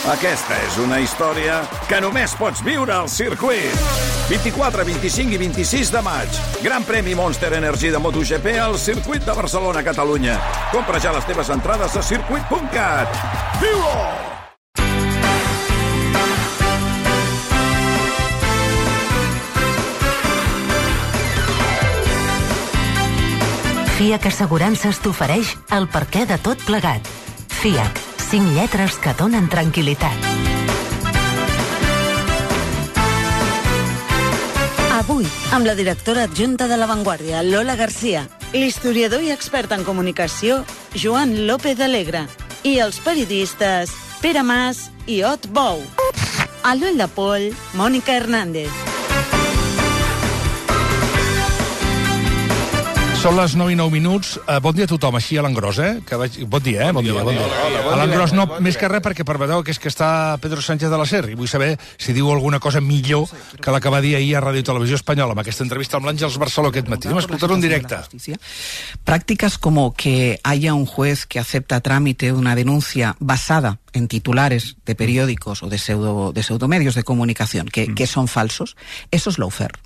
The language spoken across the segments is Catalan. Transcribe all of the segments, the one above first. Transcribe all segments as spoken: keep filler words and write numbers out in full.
Aquesta és una història que només pots viure al circuit. vint-i-quatre, vint-i-cinc i vint-i-sis de maig. Gran premi Monster Energy de MotoGP al circuit de Barcelona, Catalunya. Compra ja les teves entrades a circuit punt cat. Viu-ho! F I A C Assegurances t'ofereix el perquè de tot plegat. F I A C, cinc lletres que donen tranquil·litat. Avui, amb la directora adjunta de La Vanguardia, Lola Garcia, l'historiador i expert en comunicació, Joan López Alegre, i els periodistes Pere Mas i Ot Bou. A l'ull de poll, Mònica Hernández. Són les nou i nou minuts. Uh, bon dia a tothom, així a l'engròs, eh? Que vaig... Bon dia, eh? Bon, bon dia, bon dia. Bon dia. Hola, bon a l'engròs no, més que res, perquè permeteu que és que està Pedro Sánchez de la Ser, i vull saber si diu alguna cosa millor que la que va dir ahir a Ràdio i Televisió Espanyola, amb aquesta entrevista amb l'Àngels Barceló aquest matí. Anem a escoltar-ho en directe. Prácticas como que haya un juez que acepta trámite una denuncia basada en titulares de periódicos o de, pseudo, de pseudomedios de comunicación que, mm. que son falsos, eso es lawfare.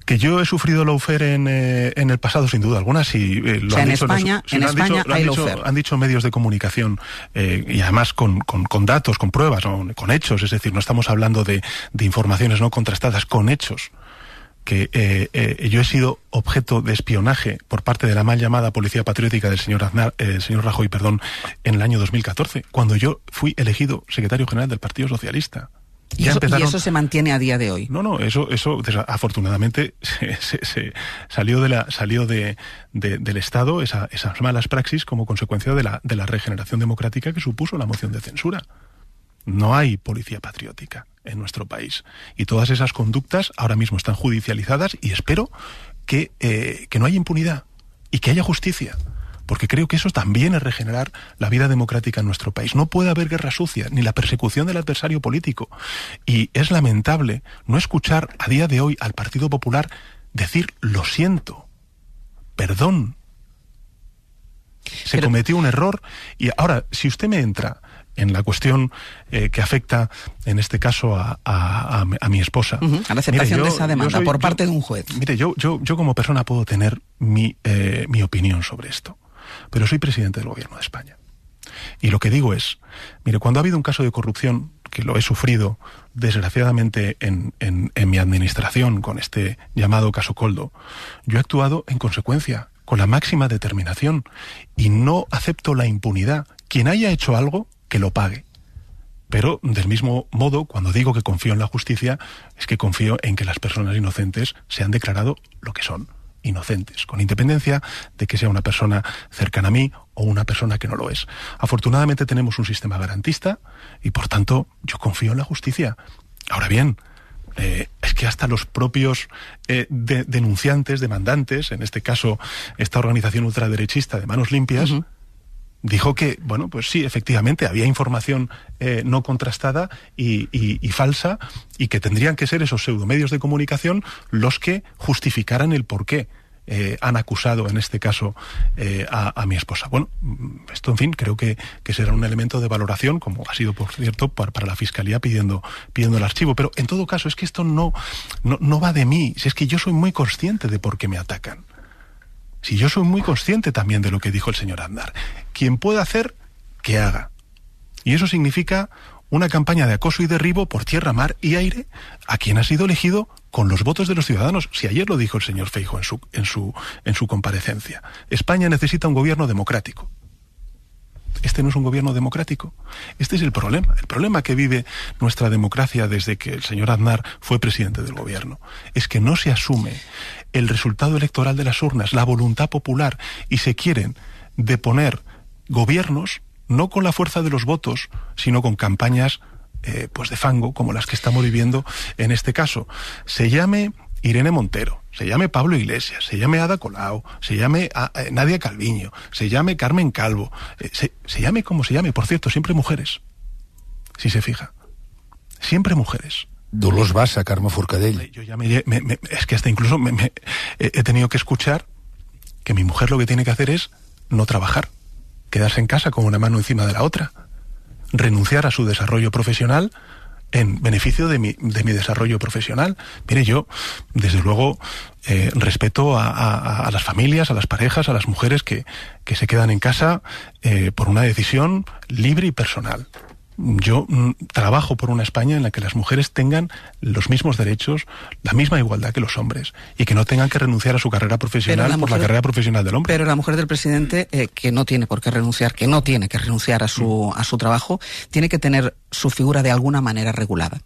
Que yo he sufrido lawfare en, eh, en el pasado, sin duda alguna, sí. Eh, lo o sea, han en dicho, España, los, en han España dicho, hay han dicho, lawfare. Han dicho medios de comunicación, eh, y además con, con, con datos, con pruebas, ¿no? Con hechos, es decir, no estamos hablando de, de informaciones no contrastadas, con hechos, que eh, eh, yo he sido objeto de espionaje por parte de la mal llamada Policía Patriótica del señor Aznar, eh, señor Rajoy, perdón, en el año dos mil catorce, cuando yo fui elegido secretario general del Partido Socialista. Y eso, empezaron... y eso se mantiene a día de hoy. No, no, eso, eso afortunadamente se, se, se salió de la, salió de, de, del Estado esa, esas malas praxis como consecuencia de la, de la regeneración democrática que supuso la moción de censura. No hay policía patriótica en nuestro país y todas esas conductas ahora mismo están judicializadas y espero que, eh, que no haya impunidad y que haya justicia. Porque creo que eso también es regenerar la vida democrática en nuestro país. No puede haber guerra sucia, ni la persecución del adversario político. Y es lamentable no escuchar a día de hoy al Partido Popular decir lo siento, perdón. Se Pero... cometió un error. Y ahora, si usted me entra en la cuestión eh, que afecta, en este caso, a, a, a, a mi esposa. Uh-huh. A la aceptación mire, yo, de esa demanda soy, por parte yo, de un juez. Mire, yo, yo, yo como persona puedo tener mi, eh, mi opinión sobre esto. Pero soy presidente del Gobierno de España. Y lo que digo es, mire, cuando ha habido un caso de corrupción, que lo he sufrido desgraciadamente en, en, en mi administración con este llamado caso Koldo, yo he actuado en consecuencia, con la máxima determinación, y no acepto la impunidad. Quien haya hecho algo, que lo pague. Pero, del mismo modo, cuando digo que confío en la justicia, es que confío en que las personas inocentes se han declarado lo que son. Inocentes, con independencia de que sea una persona cercana a mí o una persona que no lo es. Afortunadamente tenemos un sistema garantista y por tanto yo confío en la justicia. Ahora bien, eh, es que hasta los propios eh, de, denunciantes, demandantes, en este caso esta organización ultraderechista de Manos Limpias, uh-huh. dijo que, bueno, pues sí, efectivamente, había información eh, no contrastada y, y, y falsa, y que tendrían que ser esos pseudomedios de comunicación los que justificaran el por qué eh, han acusado, en este caso, eh, a, a mi esposa. Bueno, esto, en fin, creo que, que será un elemento de valoración, como ha sido, por cierto, para, para la Fiscalía pidiendo, pidiendo el archivo. Pero, en todo caso, es que esto no, no, no va de mí. Si es que yo soy muy consciente de por qué me atacan. Si yo soy muy consciente también de lo que dijo el señor Aznar. Quien pueda hacer, que haga. Y eso significa una campaña de acoso y derribo por tierra, mar y aire a quien ha sido elegido con los votos de los ciudadanos. Si ayer lo dijo el señor Feijóo en su, en su, en su comparecencia. España necesita un gobierno democrático. Este no es un gobierno democrático. Este es el problema. El problema que vive nuestra democracia desde que el señor Aznar fue presidente del gobierno es que no se asume el resultado electoral de las urnas, la voluntad popular, y se quieren deponer gobiernos no con la fuerza de los votos, sino con campañas eh, pues de fango, como las que estamos viviendo en este caso. Se llame Irene Montero, se llame Pablo Iglesias, se llame Ada Colau, se llame a, a Nadia Calviño, se llame Carmen Calvo, eh, se, se llame como se llame, por cierto, siempre mujeres, si se fija, siempre mujeres. Dolors Bassa, Carme Forcadell. Yo ya me, me, me, es que hasta incluso me, me, he tenido que escuchar que mi mujer lo que tiene que hacer es no trabajar, quedarse en casa con una mano encima de la otra. renunciar a su desarrollo profesional en beneficio de mi, de mi desarrollo profesional. Mire, yo, desde luego, eh, respeto a, a, a las familias, a las parejas, a las mujeres que, que se quedan en casa eh, por una decisión libre y personal. Yo mm, trabajo por una España en la que las mujeres tengan los mismos derechos, la misma igualdad que los hombres, y que no tengan que renunciar a su carrera profesional la por mujer, la carrera profesional del hombre. Pero la mujer del presidente, eh, que no tiene por qué renunciar, que no tiene que renunciar a su, a su trabajo, tiene que tener su figura de alguna manera regulada.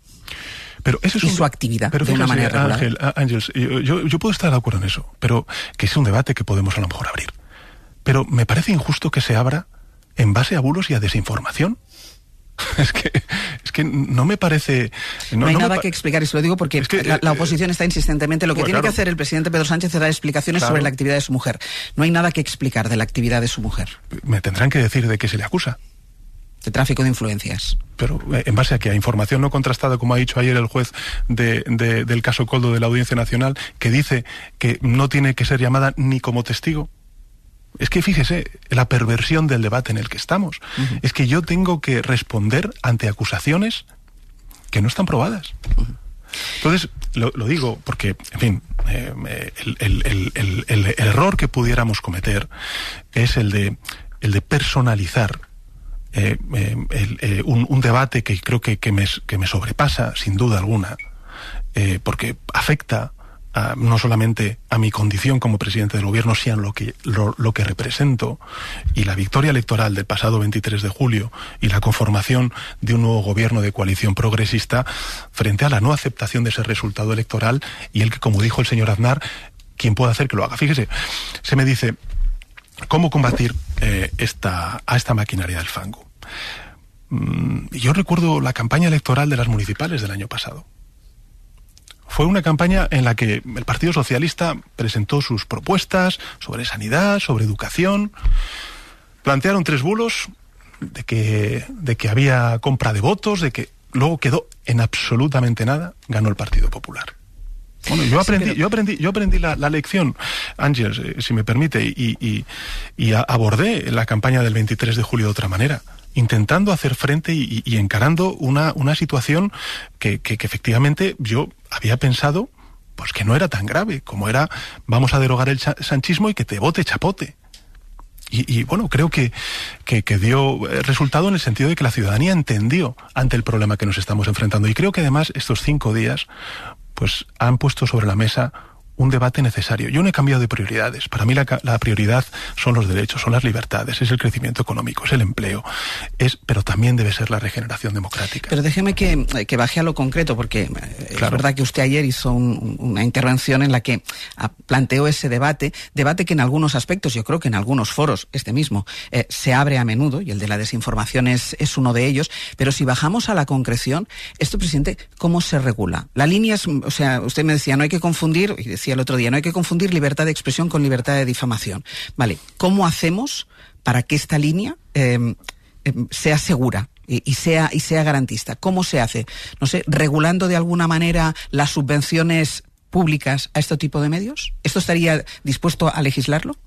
Pero eso es y un, su actividad pero de fíjate, una manera regulada. Ángel, Ángels, yo, yo, yo puedo estar de acuerdo en eso, pero que es un debate que podemos a lo mejor abrir. Pero me parece injusto que se abra en base a bulos y a desinformación. Es que, es que no me parece... No, no hay no nada pa- que explicar, y se lo digo porque es que, la, la oposición está insistentemente... Lo que bueno, tiene claro. que hacer el presidente Pedro Sánchez es dar explicaciones Claro. sobre la actividad de su mujer. No hay nada que explicar de la actividad de su mujer. Me tendrán que decir de qué se le acusa. De tráfico de influencias. Pero eh, en base a que a información no contrastada, como ha dicho ayer el juez de, de, del caso Coldo de la Audiencia Nacional, que dice que no tiene que ser llamada ni como testigo. Es que fíjese, la perversión del debate en el que estamos. Uh-huh. Es que yo tengo que responder ante acusaciones que no están probadas. Uh-huh. Entonces, lo, lo digo porque, en fin, eh, el, el, el, el, el, el error que pudiéramos cometer es el de, el de personalizar eh, eh, el, eh, un, un debate que creo que, que, me, que me sobrepasa, sin duda alguna, eh, porque afecta Uh, no solamente a mi condición como presidente del gobierno, sino lo que, lo, lo que represento, y la victoria electoral del pasado veintitrés de julio y la conformación de un nuevo gobierno de coalición progresista frente a la no aceptación de ese resultado electoral y el que, como dijo el señor Aznar, quien pueda hacer que lo haga. Fíjese, se me dice, ¿cómo combatir eh, esta, a esta maquinaria del fango? Mm, yo recuerdo la campaña electoral de las municipales del año pasado. Fue una campaña en la que el Partido Socialista presentó sus propuestas sobre sanidad, sobre educación. Plantearon tres bulos de que, de que había compra de votos, de que luego quedó en absolutamente nada, ganó el Partido Popular. Bueno, yo aprendí, sí, pero... yo aprendí, yo aprendí la, la lección, Ángels, eh, si me permite, y, y, y abordé la campaña del veintitrés de julio de otra manera, intentando hacer frente y, y encarando una, una situación que, que, que efectivamente yo había pensado pues que no era tan grave, como era vamos a derogar el sanchismo y que te vote chapote. Y, y bueno, creo que, que, que dio resultado en el sentido de que la ciudadanía entendió ante el problema que nos estamos enfrentando. Y creo que además estos cinco días pues han puesto sobre la mesa un debate necesario. Yo no he cambiado de prioridades. Para mí la, la prioridad son los derechos, son las libertades, es el crecimiento económico, es el empleo, es, pero también debe ser la regeneración democrática. Pero déjeme que, que baje a lo concreto, porque claro. Es verdad que usted ayer hizo un, una intervención en la que planteó ese debate, debate que en algunos aspectos, yo creo que en algunos foros, este mismo, eh, se abre a menudo, y el de la desinformación es, es uno de ellos, pero si bajamos a la concreción, esto, presidente, ¿cómo se regula? La línea es, o sea, usted me decía, no hay que confundir, y decía el otro día, no hay que confundir libertad de expresión con libertad de difamación. Vale, ¿cómo hacemos para que esta línea eh, eh, sea segura y, y sea y sea garantista? ¿Cómo se hace? No sé, regulando de alguna manera las subvenciones públicas a este tipo de medios. ¿Esto estaría dispuesto a legislarlo?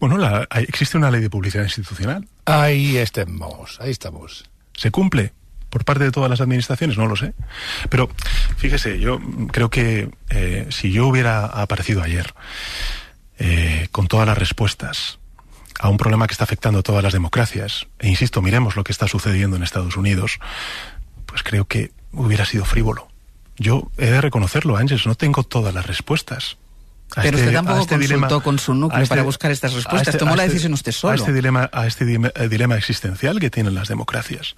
Bueno, la, existe una ley de publicidad institucional. Ahí estamos, ahí estamos. ¿Se cumple por parte de todas las administraciones? No lo sé. Pero fíjese, yo creo que eh, si yo hubiera aparecido ayer eh, con todas las respuestas a un problema que está afectando a todas las democracias, e insisto, miremos lo que está sucediendo en Estados Unidos, pues creo que hubiera sido frívolo. Yo he de reconocerlo, Ángels, no tengo todas las respuestas. A Pero este, usted tampoco este consultó dilema, con su núcleo este, para buscar estas respuestas. Este, Tomó la decisión usted solo. A este, dilema, a este dilema, dilema existencial que tienen las democracias.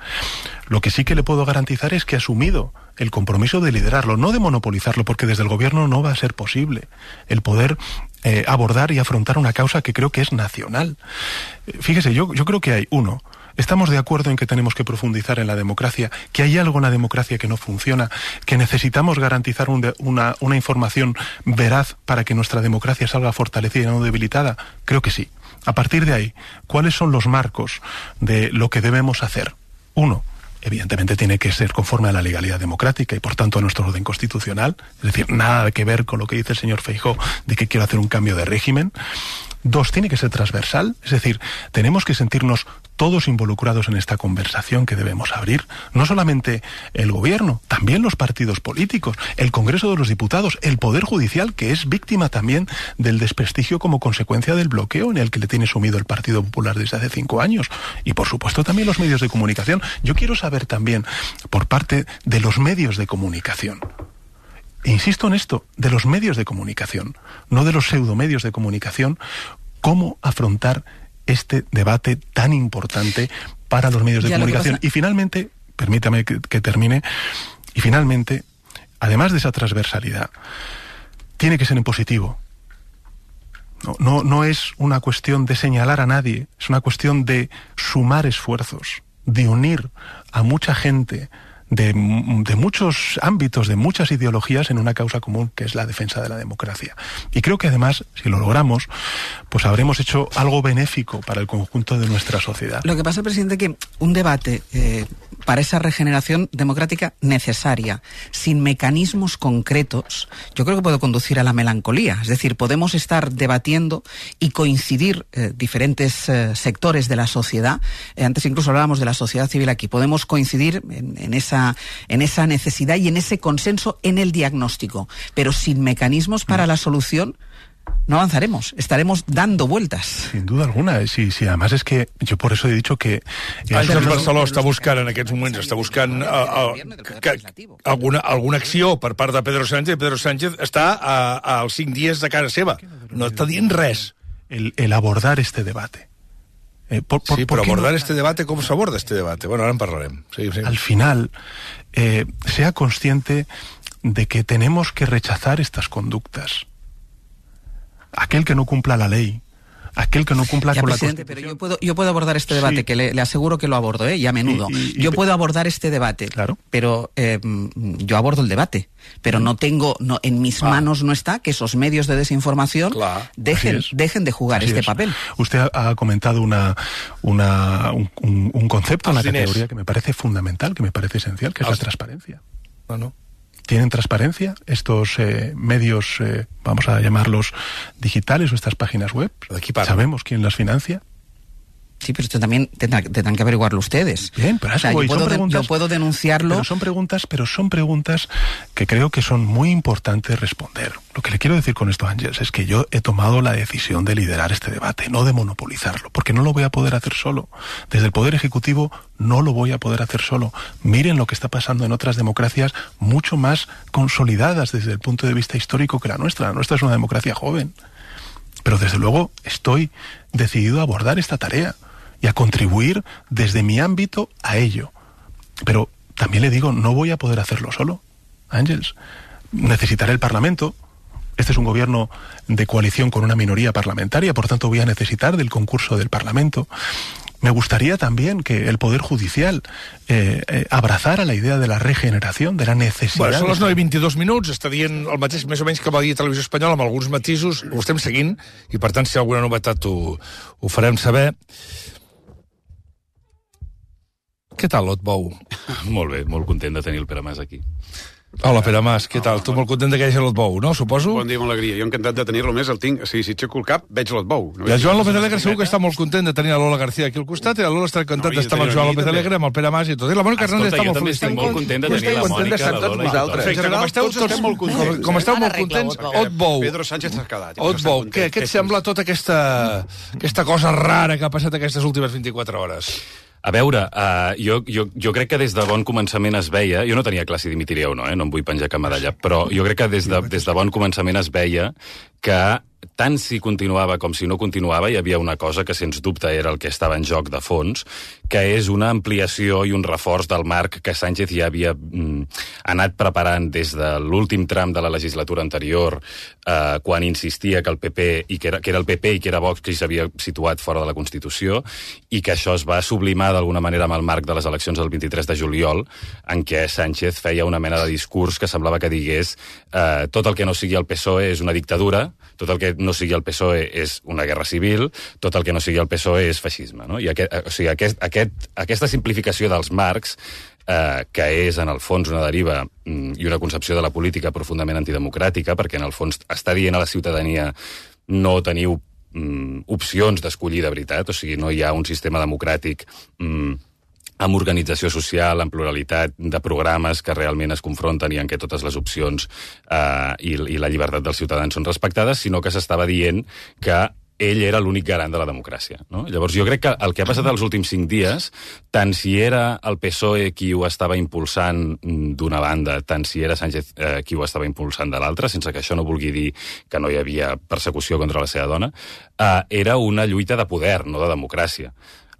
Lo que sí que le puedo garantizar es que ha asumido el compromiso de liderarlo, no de monopolizarlo, porque desde el gobierno no va a ser posible el poder eh, abordar y afrontar una causa que creo que es nacional. Fíjese, yo, yo creo que hay, uno, estamos de acuerdo en que tenemos que profundizar en la democracia, que hay algo en la democracia que no funciona, que necesitamos garantizar un de, una, una información veraz para que nuestra democracia salga fortalecida y no debilitada. Creo que sí. A partir de ahí, ¿cuáles son los marcos de lo que debemos hacer? Uno, evidentemente tiene que ser conforme a la legalidad democrática y por tanto a nuestro orden constitucional, es decir, nada que ver con lo que dice el señor Feijóo de que quiero hacer un cambio de régimen. Dos, tiene que ser transversal, es decir, tenemos que sentirnos todos involucrados en esta conversación que debemos abrir. No solamente el gobierno, también los partidos políticos, el Congreso de los Diputados, el Poder Judicial, que es víctima también del desprestigio como consecuencia del bloqueo en el que le tiene sumido el Partido Popular desde hace cinco años. Y por supuesto también los medios de comunicación. Yo quiero saber también, por parte de los medios de comunicación, insisto en esto, de los medios de comunicación, no de los pseudomedios de comunicación, cómo afrontar este debate tan importante para los medios de ya comunicación. Y finalmente, permítame que, que termine, y finalmente, además de esa transversalidad, tiene que ser en positivo. No, no, no es una cuestión de señalar a nadie, es una cuestión de sumar esfuerzos, de unir a mucha gente, De, de muchos ámbitos, de muchas ideologías en una causa común que es la defensa de la democracia. Y creo que además, si lo logramos, pues habremos hecho algo benéfico para el conjunto de nuestra sociedad. Lo que pasa, presidente, que un debate eh, para esa regeneración democrática necesaria, sin mecanismos concretos, yo creo que puede conducir a la melancolía. Es decir, podemos estar debatiendo y coincidir eh, diferentes eh, sectores de la sociedad. Eh, antes incluso hablábamos de la sociedad civil aquí. Podemos coincidir en, en esa en esa necesidad y en ese consenso en el diagnóstico, pero sin mecanismos para la solución no avanzaremos, estaremos dando vueltas. Sin duda alguna, sí, sí, además es que yo por eso he dicho que... Àngels Barceló està buscant en aquests moments, està buscant uh, uh, que, alguna, alguna acció per part de Pedro Sánchez, Pedro Sánchez està a, a als cinc dies de casa seva, no està dient res. El, el abordar este debate. Eh, por, por, sí, pero abordar no? este debate, ¿cómo se aborda este debate? Bueno, ahora en parlarem. Sí, sí. Al final, eh, sea consciente de que tenemos que rechazar estas conductas. Aquel que no cumpla la ley, aquel que no cumpla ya, con presidente, la Constitución... Pero yo puedo, yo puedo abordar este debate, sí. que le, le aseguro que lo abordo, ¿eh? Y a menudo. Y, y, y, yo puedo abordar este debate, claro. pero eh, yo abordo el debate. Pero no tengo, no, en mis ah. manos no está que esos medios de desinformación claro. dejen, dejen de jugar Así este es. papel. Usted ha comentado una, una, un, un, un concepto en la categoría que me parece fundamental, que me parece esencial, que es la transparencia. Bueno. ¿Tienen transparencia estos eh, medios, eh, vamos a llamarlos digitales, o estas páginas web? ¿Sabemos quién las financia? Sí, pero esto también tendrán, tendrán que averiguarlo ustedes. Bien, pero o sea, yo, puedo de, yo puedo denunciarlo. Pero son preguntas, pero son preguntas que creo que son muy importantes responder. Lo que le quiero decir con esto, Àngels, es que yo he tomado la decisión de liderar este debate, no de monopolizarlo, porque no lo voy a poder hacer solo. Desde el Poder Ejecutivo no lo voy a poder hacer solo. Miren lo que está pasando en otras democracias mucho más consolidadas desde el punto de vista histórico que la nuestra. La nuestra es una democracia joven. Pero desde luego estoy decidido a abordar esta tarea y a contribuir desde mi ámbito a ello. Pero también le digo, no voy a poder hacerlo solo, Àngels. Necesitaré el Parlamento. Este es un gobierno de coalición con una minoría parlamentaria, por tanto voy a necesitar del concurso del Parlamento. Me gustaría también que el Poder Judicial eh, eh, abrazara la idea de la regeneración, de la necesidad... Bueno, són les nou i vint-i-dos minuts, està dient el mateix més o menys que va dir Televisió Espanyola, amb alguns matisos, ho estem seguint, i per tant, si hi ha alguna novetat ho, ho farem saber. Què tal, Lot Bou? Molt bé, molt content de tenir el Pere Mas aquí. Hola, Pere Mas, què tal? Tu molt content de que hi hagi Lot Bou, no? Suposo? Bon dia, amb alegria. Jo encantat de tenir-lo més, el tinc... Sí, si aixeco el cap, veig Lot Bou. No I el Joan López Alegre segur que està molt content de tenir a Lola García aquí al costat, i la Lola està content no, d'estar amb el Joan López Alegre, amb el Pere Mas i tot. I la Mònica Hernández està molt feliç. Escolta, jo també estic molt content de tenir la Mònica, la Lola i tot. Perfecte, com esteu tots molt contents. Com esteu molt contents, Ot Bou. Pedro Sánchez s'ha quedat. Ot Bou, què et sembla tota aquesta aquesta cosa rara que ha passat aquestes últimes vint-i-quatre hores? A veure, uh, jo, jo, jo crec que des de bon començament es veia... Jo no tenia clar si dimitiria o no, eh? No em vull penjar cap medalla, però jo crec que des de, des de bon començament es veia que tant si continuava com si no continuava, hi havia una cosa que, sens dubte, era el que estava en joc de fons, que és una ampliació i un reforç del marc que Sánchez ja havia mm, anat preparant des de l'últim tram de la legislatura anterior, eh, quan insistia que el P P, i que era, que era el P P i que era Vox qui s'havia situat fora de la Constitució, i que això es va sublimar d'alguna manera amb el marc de les eleccions del vint-i-tres de juliol, en què Sánchez feia una mena de discurs que semblava que digués eh, tot el que no sigui el P S O E és una dictadura, tot el que no sigui el P S O E és una guerra civil, tot el que no sigui el P S O E és feixisme, no? I aquest, o sigui, aquest, aquest, aquesta simplificació dels marcs, eh, que és en el fons una deriva mm, i una concepció de la política profundament antidemocràtica, perquè en el fons està dient a la ciutadania no teniu mm, opcions d'escollir de veritat, o sigui, no hi ha un sistema democràtic mm, amb organització social, amb pluralitat de programes que realment es confronten i en què totes les opcions eh, i, i la llibertat dels ciutadans són respectades, sinó que s'estava dient que ell era l'únic garant de la democràcia. No? Llavors, jo crec que el que ha passat els últims cinc dies, tant si era el P S O E qui ho estava impulsant d'una banda, tant si era Sánchez eh, qui ho estava impulsant de l'altra, sense que això no vulgui dir que no hi havia persecució contra la seva dona, eh, era una lluita de poder, no de democràcia.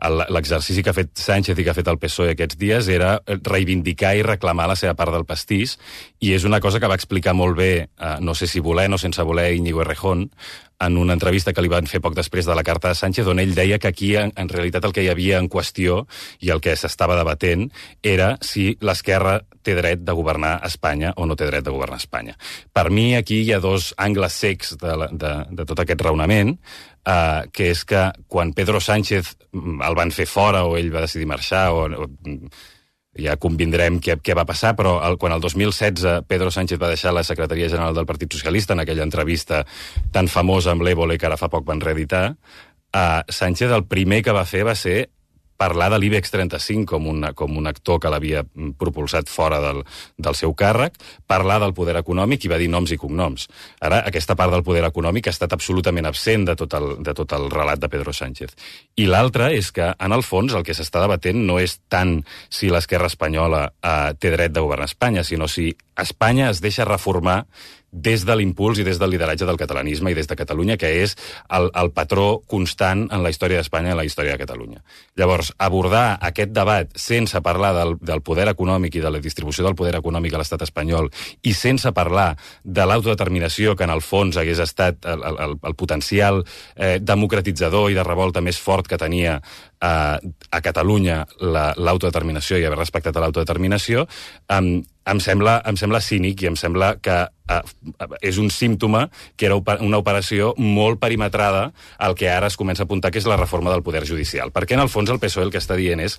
L'exercici que ha fet Sánchez i que ha fet el P S O E aquests dies era reivindicar i reclamar la seva part del pastís, i és una cosa que va explicar molt bé, eh, no sé si volent o sense voler, Íñigo Errejón, en una entrevista que li van fer poc després de la carta de Sánchez, on ell deia que aquí, en, en realitat, el que hi havia en qüestió i el que s'estava debatent era si l'esquerra té dret de governar Espanya o no té dret de governar Espanya. Per mi, aquí hi ha dos angles cecs de, la, de, de tot aquest raonament, eh, que és que quan Pedro Sánchez el van fer fora o ell va decidir marxar o... o ja convindrem què, què va passar, però el, quan el dos mil setze Pedro Sánchez va deixar la secretaria general del Partit Socialista en aquella entrevista tan famosa amb l'Évole que ara fa poc van reeditar, eh, Sánchez el primer que va fer va ser parlar de l'IBEX trenta-cinc com, una, com un actor que l'havia propulsat fora del, del seu càrrec, parlar del poder econòmic i va dir noms i cognoms. Ara, aquesta part del poder econòmic ha estat absolutament absent de tot el, de tot el relat de Pedro Sánchez. I l'altre és que, en el fons, el que s'està debatent no és tant si l'esquerra espanyola eh, té dret de governar Espanya, sinó si Espanya es deixa reformar des de l'impuls i des del lideratge del catalanisme i des de Catalunya, que és el, el patró constant en la història d'Espanya i en la història de Catalunya. Llavors, abordar aquest debat sense parlar del, del poder econòmic i de la distribució del poder econòmic a l'estat espanyol i sense parlar de l'autodeterminació, que en el fons hagués estat el, el, el potencial eh, democratitzador i de revolta més fort que tenia eh, a Catalunya l'autodeterminació i haver respectat a l'autodeterminació, eh, em sembla, em sembla cínic i em sembla que eh, és un símptoma que era una operació molt perimetrada al que ara es comença a apuntar, que és la reforma del poder judicial. Perquè en el fons el P S O E el que està dient és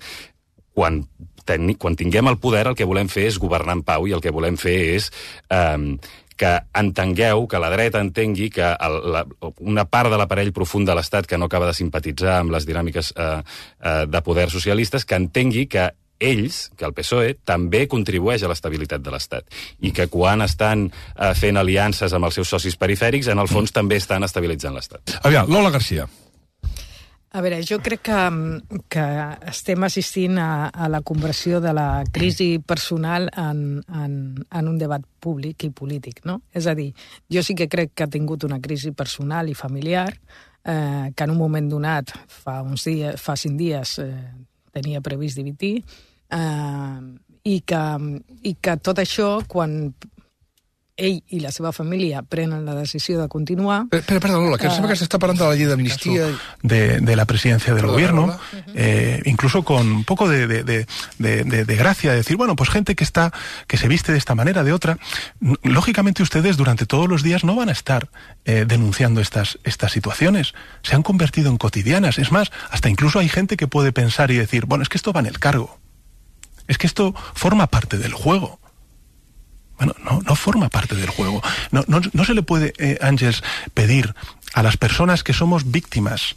quan, ten, quan tinguem el poder el que volem fer és governar en pau i el que volem fer és eh, que entengueu, que la dreta entengui que el, la, una part de l'aparell profund de l'Estat que no acaba de simpatitzar amb les dinàmiques eh, eh, de poder socialistes, que entengui que ells, que el P S O E, també contribueix a l'estabilitat de l'Estat i que quan estan eh, fent aliances amb els seus socis perifèrics, en el fons també estan estabilitzant l'Estat. Aviam, Lola Garcia. A veure, jo crec que, que estem assistint a, a la conversió de la crisi personal en, en, en un debat públic i polític, no? És a dir, jo sí que crec que ha tingut una crisi personal i familiar, eh, que en un moment donat, fa uns dies, fa cinc dies, eh, tenia previst dimitir, eh, i, que, i que tot això, quan ell i la seva família prenen la decisió de continuar... Espera, espera, Lola, que uh, sembla que s'està parlant de la llei d'amnistia... De, de la presidencia del perdón, gobierno, eh, incluso con un poco de, de, de, de, de gracia, de decir, bueno, pues gente que está, que se viste de esta manera, de otra. Lógicamente ustedes durante todos los días no van a estar eh, denunciando estas, estas situaciones. Se han convertido en cotidianas. Es más, hasta incluso hay gente que puede pensar y decir, bueno, es que esto va en el cargo. Es que esto forma parte del juego. Bueno, no, no forma parte del juego. No, no, no se le puede, eh, Ángels, pedir a las personas que somos víctimas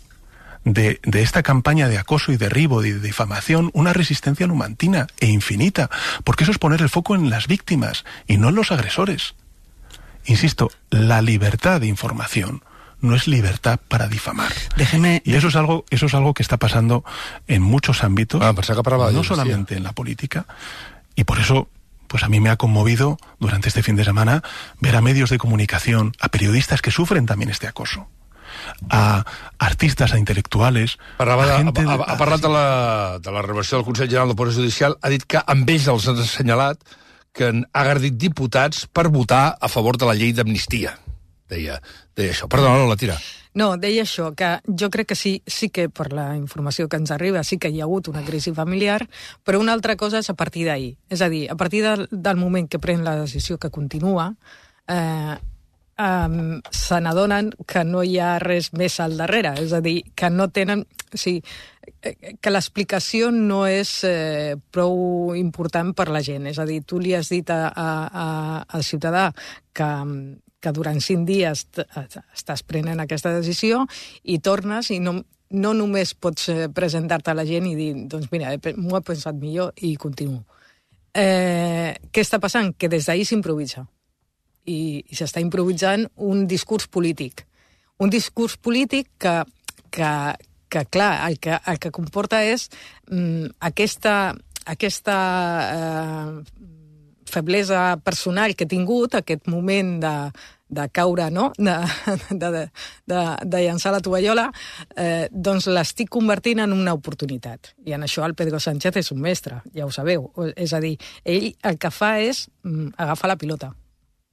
de, de esta campaña de acoso y derribo y de difamación una resistencia numantina e infinita, porque eso es poner el foco en las víctimas y no en los agresores. Insisto, la libertad de información no es libertad para difamar. Déjeme... Y eso es algo, eso es algo que está pasando en muchos ámbitos, ah, pues acá no solamente en la política, y por eso pues a mí me ha conmovido durante este fin de semana ver a medios de comunicación, a periodistas que sufren también este acoso, a artistes, a intel·lectuals... Parlava a de, gente... ha, ha parlat de la, de la renovació del Consell General del Poder Judicial, ha dit que amb ells els han assenyalat que han agredit diputats per votar a favor de la llei d'amnistia. Deia, deia això. Perdona, no la tira. No, deia això, que jo crec que sí, sí que per la informació que ens arriba sí que hi ha hagut una crisi familiar, però una altra cosa és a partir d'ahir. És a dir, a partir del, del moment que pren la decisió que continua, eh, eh, se n'adonen que no hi ha res més al darrere. És a dir, que no tenen... O sigui, que l'explicació no és eh, prou important per la gent. És a dir, tu li has dit a, a, a, al ciutadà que, que durant cinc dies estàs prenent aquesta decisió i tornes i no, no només pots presentar-te a la gent i dir, doncs mira, m'ho he pensat millor i continuo. Eh, què està passant? Que des d'ahir s'improvisa. I, i s'està improvisant un discurs polític. Un discurs polític que, que, que clar, el que, el que comporta és mm, aquesta, aquesta eh, feblesa personal que he tingut, aquest moment de, de caure, no? de, de, de, de llançar la tovallola, eh, doncs l'estic convertint en una oportunitat. I en això el Pedro Sánchez és un mestre, ja ho sabeu. És a dir, ell el que fa és mm, agafar la pilota.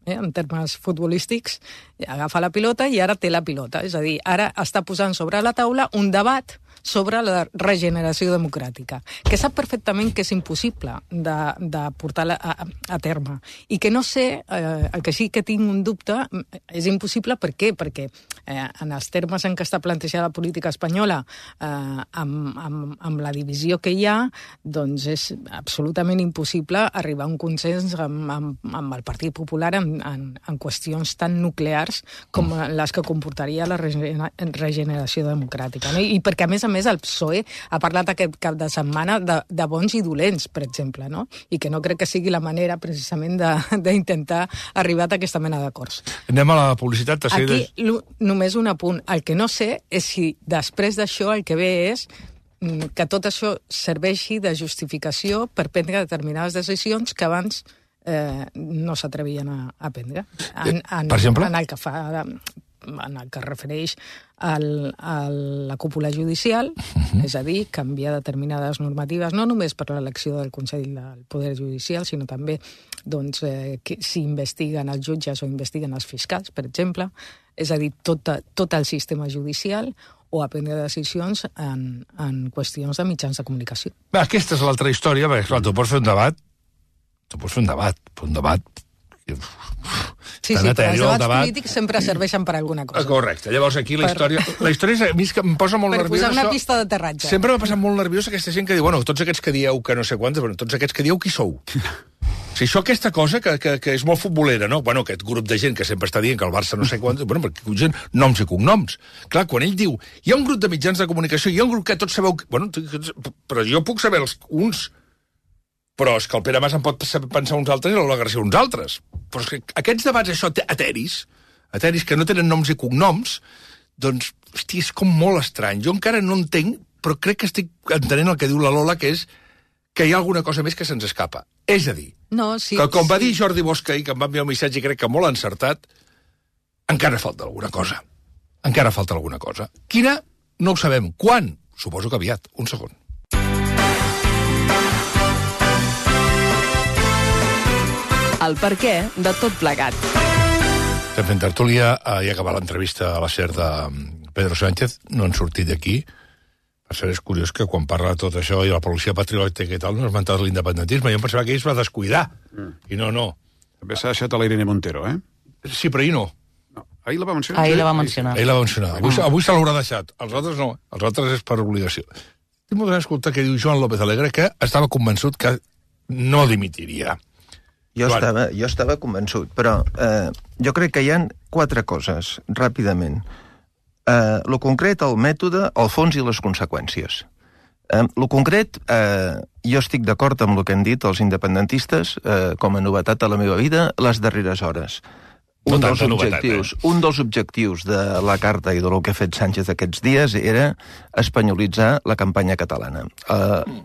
Eh, en termes futbolístics, agafa la pilota i ara té la pilota. És a dir, ara està posant sobre la taula un debat sobre la regeneració democràtica, que sap perfectament que és impossible de, de portar a, a terme. I que no sé, eh, el que sí que tinc un dubte, és impossible per què? Perquè eh, en els termes en què està plantejada la política espanyola, eh, amb, amb, amb la divisió que hi ha, doncs és absolutament impossible arribar a un consens amb, amb, amb el Partit Popular en, en, en qüestions tan nuclears com les que comportaria la regeneració democràtica. No? I perquè, a més a més, el P S O E ha parlat aquest cap de setmana de, de bons i dolents, per exemple, no? I que no crec que sigui la manera, precisament, d'intentar arribar a aquesta mena d'acords. Anem a la publicitat. Aquí, només un apunt. El que no sé és si després d'això el que ve és que tot això serveixi de justificació per prendre determinades decisions que abans eh, no s'atrevien a, a prendre. En, en, per exemple? En el que fa... en el que es refereix al, a la cúpula judicial, uh-huh. és a dir, canviar determinades normatives, no només per l'elecció del Consell del Poder Judicial, sinó també doncs, eh, que, si investiguen els jutges o investiguen els fiscals, per exemple, és a dir, tot, tot el sistema judicial, o a prendre decisions en, en qüestions de mitjans de comunicació. Bé, aquesta és l'altra història, perquè, clar, tu pots fer un debat, tu pots fer un debat, un debat... Sí, sí, però els debats debat... polítics sempre serveixen per alguna cosa. Correcte. Llavors, aquí la història... Per... La història és, a mi és que em posa molt per nerviós... Per posar una això... pista d'aterratge. Sempre m'ha passat molt nerviós aquesta gent que diu, bueno, tots aquests que dieu que no sé quantes, bueno, tots aquests que dieu qui sou? Si això, aquesta cosa que, que, que és molt futbolera, no? Bueno, aquest grup de gent que sempre està dient que el Barça no sé quantes... Bueno, perquè gent, noms i cognoms. Clar, quan ell diu, hi ha un grup de mitjans de comunicació, hi ha un grup que tots sabeu... Bueno, però jo puc saber els uns... Però és que el Pere Mas en pot pensar uns altres i l'Ola Garcia uns altres. Però és que aquests debats, això, ateris, ateris que no tenen noms i cognoms, doncs, hosti, és com molt estrany. Jo encara no entenc, però crec que estic entenent el que diu la Lola, que és que hi ha alguna cosa més que se'ns escapa. És a dir, no, sí, que com sí. va dir Jordi Bosch, que em va enviar un missatge, crec que molt encertat, encara falta alguna cosa. Encara falta alguna cosa. Quina? No ho sabem. Quan? Suposo que aviat. Un segon. El perquè de tot plegat. Estem fent tertúlia i acabar l'entrevista a la SER de Pedro Sánchez. No han sortit d'aquí. Per ser és curiós que quan parla de tot això i la policia patriòtica i tal, no ha esmentat l'independentisme. Jo em pensava que ell es va descuidar. Mm. I no, no. També s'ha deixat a la Irene Montero, eh? Sí, però ahir no. no. Ahir la va mencionar. Ahir la va mencionar. Ahir la va mencionar. Avui, avui se l'haurà deixat. Els altres no. Els altres és per obligació. Tinc molt d'escoltar que diu Joan López Alegre que estava convençut que no dimitiria. Jo estava, jo estava convençut, però eh, jo crec que hi ha quatre coses, ràpidament. Eh, lo concret, el mètode, el fons i les conseqüències. Eh, lo concret, eh, jo estic d'acord amb el que han dit els independentistes, eh, com a novetat a la meva vida, les darreres hores. Un, no dels objectius, novetat, eh? un dels objectius de la carta i del que ha fet Sánchez aquests dies era espanyolitzar la campanya catalana. Eh,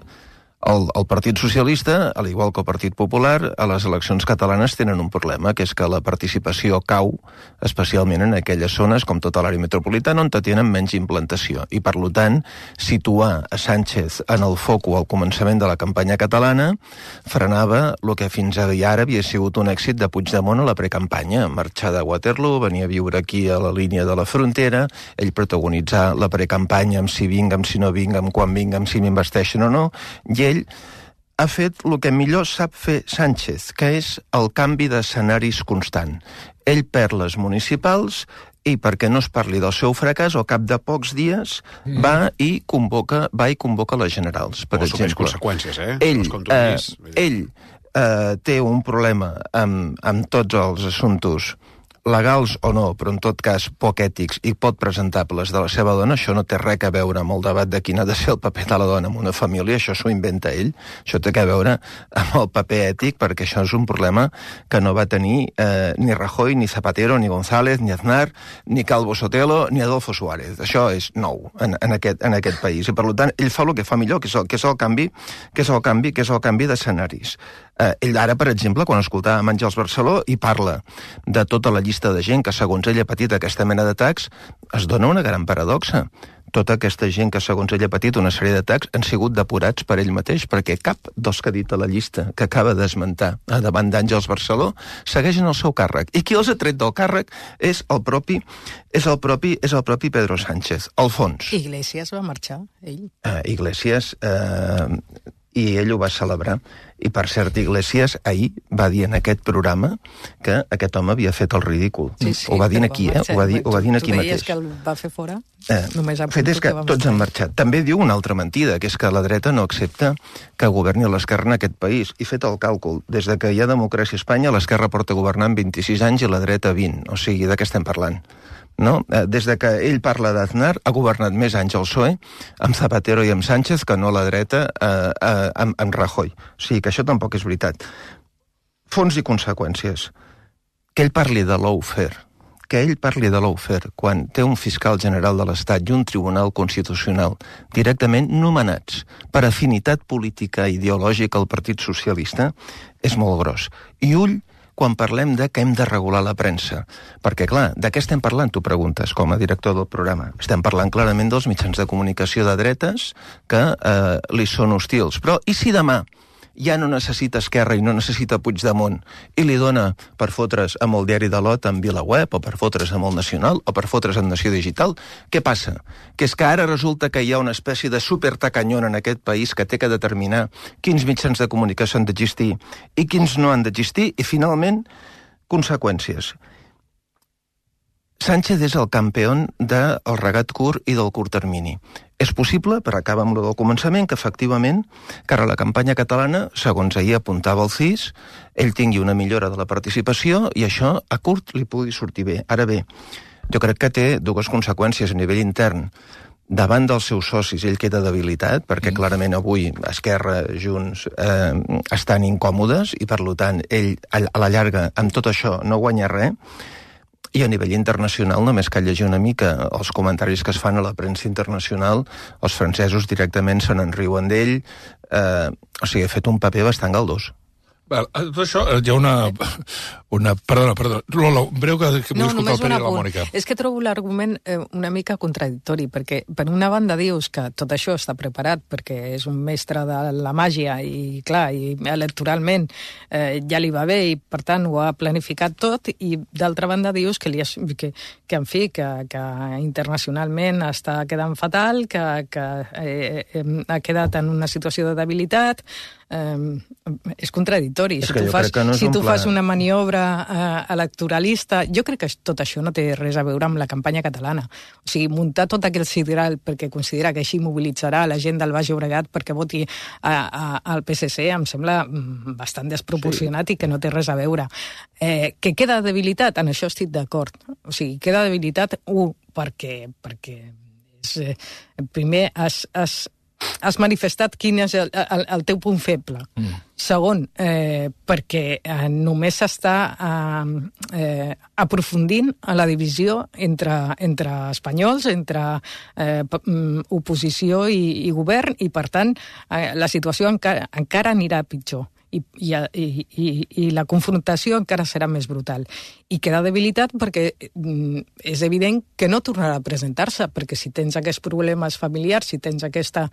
El, el Partit Socialista, al igual que el Partit Popular, a les eleccions catalanes tenen un problema, que és que la participació cau, especialment en aquelles zones, com tota l'àrea metropolitana, on tenen menys implantació. I, per tant, situar a Sánchez en el foco al començament de la campanya catalana frenava el que fins ara havia sigut un èxit de Puigdemont a la precampanya. Marxar de Waterloo, venir a viure aquí a la línia de la frontera, ell protagonitzar la precampanya amb si vinc, amb si no vinc, amb quan vinc, amb si m'investeixen o no, i ell ha fet el que millor sap fer Sánchez, que és el canvi d'escenaris constant. Ell perd les municipals i, perquè no es parli del seu fracàs, al cap de pocs dies mm. va i convoca va i convoca les generals, per o exemple. Conseqüències, eh? Ell, eh, ell eh, té un problema amb, amb tots els assumptes legals o no, però en tot cas poc ètics i poc presentables de la seva dona, això no té res a veure amb el debat de quin ha de ser el paper de la dona en una família, això s'ho inventa ell, això té a veure amb el paper ètic, perquè això és un problema que no va tenir eh, ni Rajoy, ni Zapatero, ni González, ni Aznar, ni Calvo Sotelo, ni Adolfo Suárez. Això és nou en, en, aquest, en aquest país, i per tant ell fa el que fa millor, que és el, que és el canvi, que és el canvi, que és el canvi d'escenaris. Eh, ell ara, per exemple, quan escoltava Àngels Barceló i parla de tota la llista de gent que, segons ell, ha patit aquesta mena d'atacs, es dona una gran paradoxa. Tota aquesta gent que, segons ell, ha patit una sèrie d'atacs han sigut depurats per ell mateix, perquè cap dels que ha dit a la llista que acaba d'esmentar davant d'Àngels Barceló segueixen el seu càrrec. I qui els ha tret del càrrec és el propi, és el propi, és el propi Pedro Sánchez. Al fons. Iglesias va marxar, ell. Uh, Iglesias... Uh, i ell ho va celebrar. I, per cert, Iglesias ahir va dir en aquest programa que aquest home havia fet el ridícul. Sí, sí, ho va dir aquí, eh? Ho va dir, ho va dir aquí mateix. Tu deies que el va fer fora? Eh, Només fet és que, que tots han marxat. També diu una altra mentida, que és que la dreta no accepta que governi l'esquerra en aquest país. I fet el càlcul, des de que hi ha democràcia a Espanya, l'esquerra porta governant vint-i-sis anys i la dreta vint. O sigui, de què estem parlant? No? Des de que ell parla d'Aznar, ha governat més anys el P S O E amb Zapatero i amb Sánchez que no la dreta eh, eh, amb, amb Rajoy. O sigui que això tampoc és veritat. Fons i conseqüències. Que ell parli de lawfare, que ell parli de lawfare quan té un fiscal general de l'Estat i un tribunal constitucional directament nomenats per afinitat política i ideològica al Partit Socialista és molt gros. I ull quan parlem de que hem de regular la premsa. Perquè, clar, de què estem parlant, tu preguntes, com a director del programa? Estem parlant clarament dels mitjans de comunicació de dretes que eh, li són hostils. Però i si demà ja no necessita Esquerra i no necessita Puigdemont i li dona per fotre's amb el diari de l'O T amb VilaWeb o per fotre's amb el Nacional o per fotre's amb Nació Digital? Què passa? Que és que ara resulta que hi ha una espècie de supertacanyón en aquest país que té que determinar quins mitjans de comunicació han d'existir i quins no han d'existir i, finalment, conseqüències. Sánchez és el campió del regat curt i del curt termini. És possible, per acabar amb el del començament, que efectivament, cara a la campanya catalana, segons ahir apuntava el C I S, ell tingui una millora de la participació i això a curt li pugui sortir bé. Ara bé, jo crec que té dues conseqüències a nivell intern. Davant dels seus socis ell queda debilitat, perquè clarament avui Esquerra, Junts, eh, estan incòmodes i, per tant, ell a la llarga amb tot això no guanya res. I a nivell internacional, només cal llegir una mica els comentaris que es fan a la premsa internacional, els francesos directament se n'enriuen d'ell, eh, o sigui, ha fet un paper bastant galdós. Val, tot això, hi ha una... una perdona, perdona. Lola, breu, que, que vull no, escoltar el Pere i la Mònica. És que trobo l'argument eh, una mica contradictori, perquè per una banda dius que tot això està preparat perquè és un mestre de la màgia i, clar, i electoralment eh, ja li va bé i, per tant, ho ha planificat tot, i d'altra banda dius que, li ha, que, que en fi, que, que internacionalment està quedant fatal, que, que eh, eh, ha quedat en una situació de debilitat. Eh, és contradictori. Si tu, fas, no si tu fas una maniobra eh, electoralista, jo crec que tot això no té res a veure amb la campanya catalana. O sigui, muntar tot aquell sideral perquè considera que així mobilitzarà la gent del Baix Llobregat perquè voti a, a, al P S C em sembla bastant desproporcionat, sí, i que no té res a veure. Eh, que queda debilitat? En això estic d'acord. O sigui, queda debilitat, un, perquè, perquè és, eh, primer has, has has manifestat quin és el, el, el teu punt feble. Mm. Segon, eh, perquè eh, només s'està eh, eh, aprofundint a la divisió entre, entre espanyols, entre eh, oposició i, i govern, i per tant eh, la situació encara, encara anirà pitjor. I, i, i, i la confrontació encara serà més brutal. I queda debilitat perquè mm, és evident que no tornarà a presentar-se, perquè si tens aquests problemes familiars, si tens aquesta...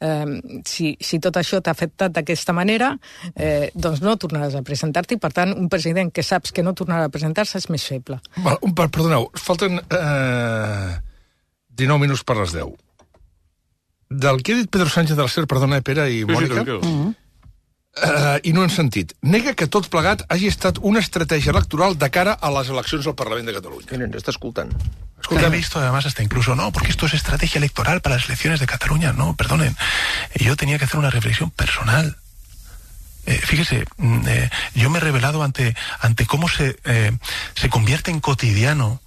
Eh, si, si tot això t'ha afectat d'aquesta manera, eh, doncs no tornaràs a presentar-te, i per tant un president que saps que no tornarà a presentar-se és més feble. Val, un, perdoneu, falten eh, dinou minuts per les deu. Del que ha dit Pedro Sánchez de la SER, perdona, Pere i Mònica... Sí, sí, Uh, i no han sentit. Nega que tot plegat hagi estat una estratègia electoral de cara a les eleccions al Parlament de Cataluña. Miren, está escoltant. He visto además hasta incluso, no, porque esto es estrategia electoral para las elecciones de Cataluña. No, perdonen. Yo tenía que hacer una reflexión personal. Eh, fíjese, eh, yo me he revelado ante, ante cómo se, eh, se convierte en cotidiano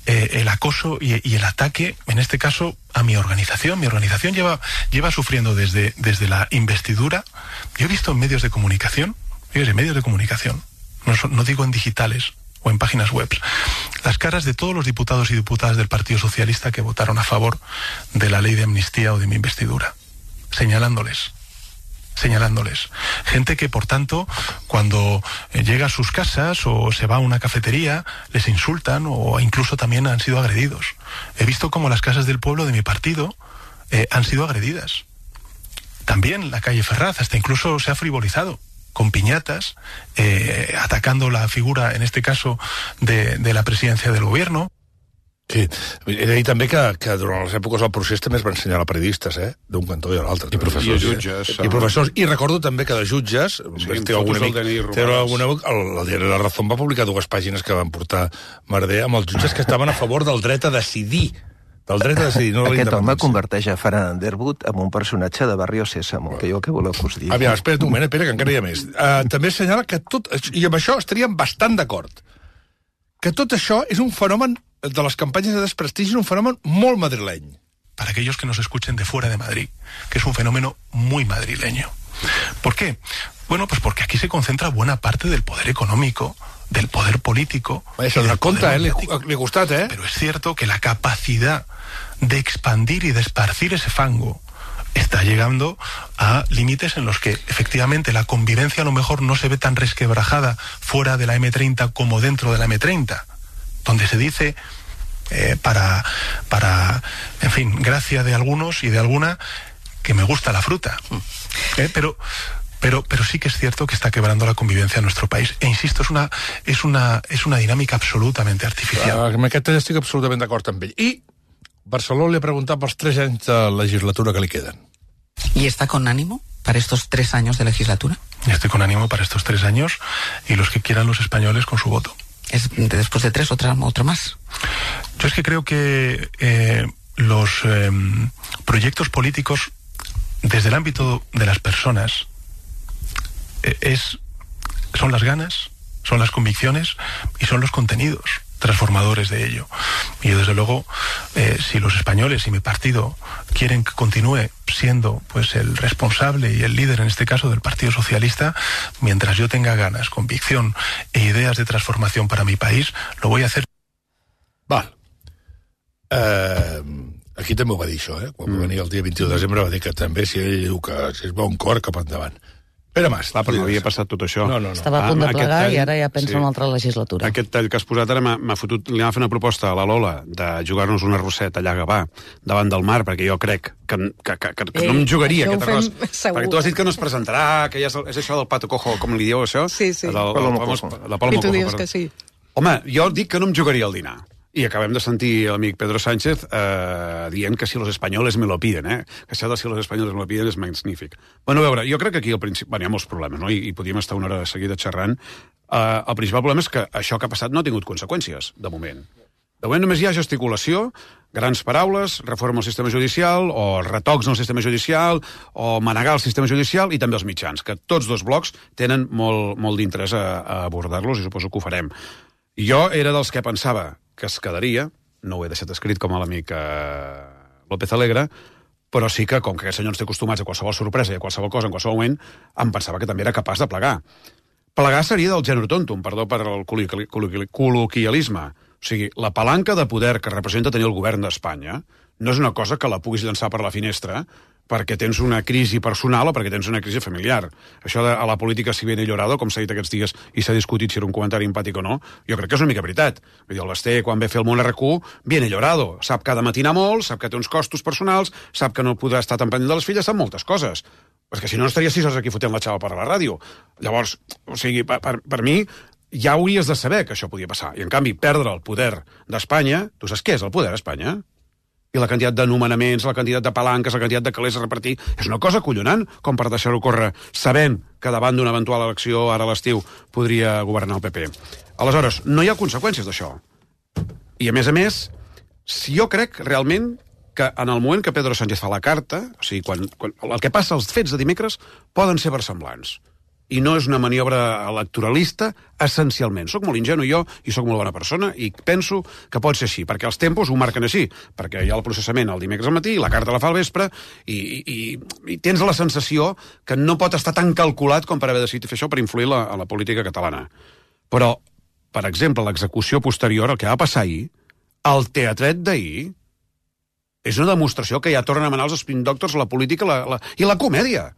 eh, el acoso y, y el ataque, en este caso, a mi organización. Mi organización lleva, lleva sufriendo desde, desde la investidura. Yo he visto en medios de comunicación, fíjese, medios de comunicación, no, no digo en digitales o en páginas web, las caras de todos los diputados y diputadas del Partido Socialista que votaron a favor de la ley de amnistía o de mi investidura, señalándoles, señalándoles. Gente que, por tanto, cuando llega a sus casas o se va a una cafetería, les insultan o incluso también han sido agredidos. He visto cómo las casas del pueblo de mi partido eh, han sido agredidas. También la calle Ferraz, hasta incluso se ha frivolizado con piñatas, eh, atacando la figura, en este caso, de, de la presidencia del gobierno. Sí, he de dir també que, que durant les èpoques del procés també es van ensenyar a periodistes, eh? D'un cantó i a l'altre. I professors. I jutges. I professors. I recordo també que de jutges... Sí, té algun amic, té alguna, el, el diari La Razón va publicar dues pàgines que van portar Merder amb els jutges que estaven a favor del dret a decidir. Del dret a decidir, no de Aquest home converteix a Ferran Underwood en un personatge de Barrio Sésamo, que jo què voleu que us digui? Aviam, espera't un moment, espera, que encara hi ha més. Uh, també assenyala que tot... I amb això estaríem bastant d'acord. Que tot això és un fenomen de les campanyes de desprestigi, un fenomen molt madrileny. Para aquellos que nos escuchen de fuera de Madrid, que es un fenómeno muy madrileño. ¿Por qué? Bueno, pues porque aquí se concentra buena parte del poder económico, del poder político. Eso da cuenta, eh? Le, le gustate, eh? Pero es cierto que la capacidad de expandir y de esparcir ese fango está llegando a límites en los que efectivamente la convivencia a lo mejor no se ve tan resquebrajada fuera de la eme treinta como dentro de la eme treinta, donde se dice, eh, para, para, en fin, gracia de algunos y de alguna, que me gusta la fruta. Eh, pero... Pero, pero sí que es cierto que está quebrando la convivencia en nuestro país. E insisto, es una, es una, es una dinámica absolutamente artificial. Uh, amb aquest estic absolutament d'acord amb ell. I Barcelona le ha preguntat pels tres anys de legislatura que li queden. ¿Y está con ánimo para estos tres años de legislatura? Y estoy con ánimo para estos tres años y los que quieran los españoles con su voto. ¿Es después de tres otra, otro más? Yo es que creo que eh, los eh, proyectos políticos desde el ámbito de las personas Es, son las ganas, son las convicciones y son los contenidos transformadores de ello. Y desde luego, eh, si los españoles y mi partido quieren que continúe siendo pues el responsable y el líder, en este caso, del Partido Socialista, mientras yo tenga ganas, convicción e ideas de transformación para mi país, lo voy a hacer. Val. Eh, aquí també ho va dir això, eh? Quan mm. va venir el dia vint-i-u de desembre va dir que també, si ell diu que si es va un cor, cap endavant. Pere Mas. Clar, però no havia passat tot això. No, no, no. Estava a punt de plegar i ara ja pensa sí. en una altra legislatura. Aquest tall que has posat ara m'ha fotut... Li va fer una proposta a la Lola de jugar-nos una rosseta allà a Gavà, davant del mar, perquè jo crec que, que, que, que, que Ei, no em jugaria aquest arròs. Segur. Perquè tu has dit que no es presentarà, que ja és, és això del pato cojo, com li dieu, això? Sí, sí. Del, del, Palomo cojo. La Palomo I tu dius que sí. Home, jo dic que no em jugaria al dinar. I acabem de sentir l'amic Pedro Sánchez eh, dient que si los españoles me lo piden, eh? Que això de si los españoles me lo piden és magnífic. Bueno, a veure, jo crec que aquí al principi... Bueno, hi ha molts problemes, no? I, i podríem estar una hora seguida xerrant. Eh, el principal problema és que això que ha passat no ha tingut conseqüències, de moment. De moment només hi ha gesticulació, grans paraules, reforma al sistema judicial, o retocs en el sistema judicial, o manegar el sistema judicial, i també els mitjans, que tots dos blocs tenen molt, molt d'interès a, a abordar-los, i suposo que ho farem. Jo era dels que pensava que es quedaria, no ho he deixat escrit com a l'amic eh, López Alegre, però sí que, com que aquests senyors té acostumats a qualsevol sorpresa i a qualsevol cosa en qualsevol moment, em pensava que també era capaç de plegar. Plegar seria del gènere tontum, perdó per el col·loquialisme. O sigui, la palanca de poder que representa tenir el govern d'Espanya no és una cosa que la puguis llançar per la finestra perquè tens una crisi personal o perquè tens una crisi familiar. Això de a la política si viene llorado, com s'ha dit aquests dies i s'ha discutit si era un comentari empàtic o no, jo crec que és una mica veritat. Vull dir, el Basté, quan ve a fer el Món erre cu, viene llorado. Sap que ha de matinar molt, sap que té uns costos personals, sap que no podrà estar tan pendent de les filles, sap moltes coses. Perquè si no, no estaria sis hores aquí fotent la xava per a la ràdio. Llavors, o sigui, per, per, per mi, ja hauries de saber que això podia passar. I, en canvi, perdre el poder d'Espanya... Tu saps què és el poder d'Espanya? I la quantitat de nomenaments, la quantitat de palanques, la quantitat de calés a repartir, és una cosa collonant, com per deixar-ho córrer, sabent que davant d'una eventual elecció ara a l'estiu podria governar el pe pe. Aleshores, no hi ha conseqüències d'això. I, a més a més, si jo crec realment que en el moment que Pedro Sánchez fa la carta, o sigui, quan, quan el que passa, els fets de dimecres, poden ser versemblants. i no és una maniobra electoralista, essencialment. Soc molt ingenu jo i soc molt bona persona i penso que pot ser així, perquè els tempos ho marquen així, perquè hi ha el processament el dimecres al matí, la carta la fa al vespre, i, i, i tens la sensació que no pot estar tan calculat com per haver decidit fer això per influir la, a la política catalana. Però, per exemple, l'execució posterior, el que va passar ahir, el teatret d'ahir, és una demostració que ja tornen a manar els spin doctors, la política la, la, i la comèdia.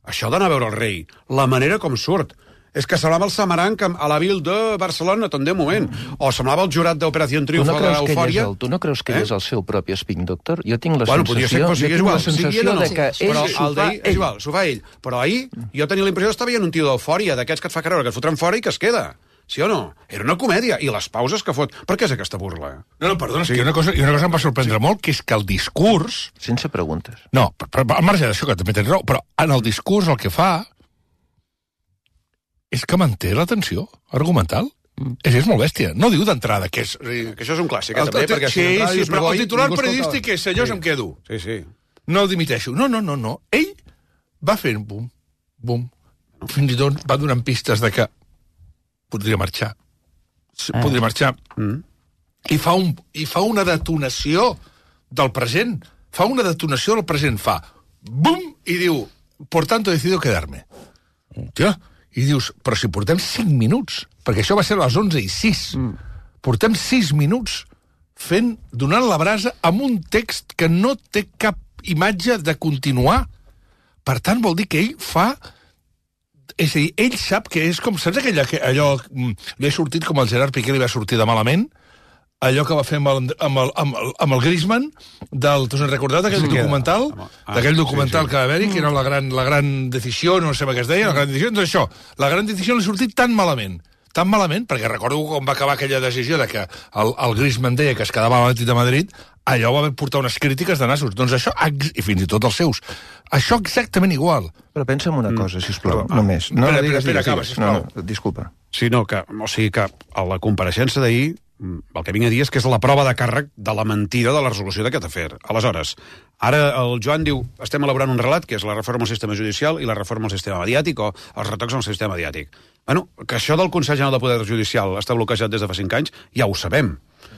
Això d'anar a veure el rei, la manera com surt, és que semblava el Samaranc a la Vil de Barcelona, tant de moment, o semblava el jurat d'Operació Triunfo no de l'Eufòria. Tu no creus que ell és el seu propi spin doctor? Jo tinc la bueno, sensació, ser, jo tinc igual, la sensació no. de que ell però s'ho el fa ell. És igual, s'ho fa ell. Però ahir jo tenia la impressió que estava veient un tio d'eufòria, d'aquests que et fa creure que et fotran fora i que es queda. Sí o no? Era una comèdia. I les pauses que fot... Per què és aquesta burla? No, no, perdona, sí. és que una cosa, una cosa em va sorprendre sí. molt, que és que el discurs... Sense preguntes. No, però, al marge d'això, que també tens raó, però en el discurs el que fa és que manté l'atenció argumental. Mm. És, és molt bèstia. No diu d'entrada que és... Que això és un clàssic, eh, el, també, perquè... Sí, si sí, però el titular periodístic és senyors, sí. em quedo. Sí, sí. No dimiteixo. No, no, no, no. Ell va fent bum, bum. Fins i tot va donant pistes de que podria marxar. Podria marxar. Mm. I, fa un, I fa una detonació del present. Fa una detonació del present. Fa bum! I diu, por tanto decido quedarme. Ja. I dius, però si portem cinc minuts, perquè això va ser a les onze i sis. Mm. Portem sis minuts fent, donant la brasa amb un text que no té cap imatge de continuar. Per tant, vol dir que ell fa... És a dir, ell sap que és com... Saps aquella, que allò... Li ha sortit com el Gerard Piqué li va sortir de malament? Allò que va fer amb el, amb el, amb el, amb el Griezmann, del, t'ho has recordat, d'aquell sí, documental? Ah, d'aquell documental sí, sí. que va haver-hi, que era la gran, la gran decisió, no sé què es deia, la gran decisió, doncs això, la gran decisió li ha sortit tan malament, tan malament, perquè recordo com va acabar aquella decisió de que el, el Griezmann deia que es quedava a l'Atlètic de Madrid, allò va portar unes crítiques de nassos. Doncs això, i fins i tot els seus, això exactament igual. Però pensa en una cosa, sisplau, mm. només. No, espera, no digues, espera, digues, acaba, sisplau. No, no, disculpa. Sí, no, que, o sigui que a la compareixença d'ahir, el que vinc a dir és que és la prova de càrrec de la mentida de la resolució d'aquest afer. Aleshores, ara el Joan diu, estem elaborant un relat, que és la reforma al sistema judicial i la reforma al sistema mediàtic, o els retocs al sistema mediàtic. Bueno, que això del Consell General de Poder Judicial està bloquejat des de fa cinc anys, ja ho sabem.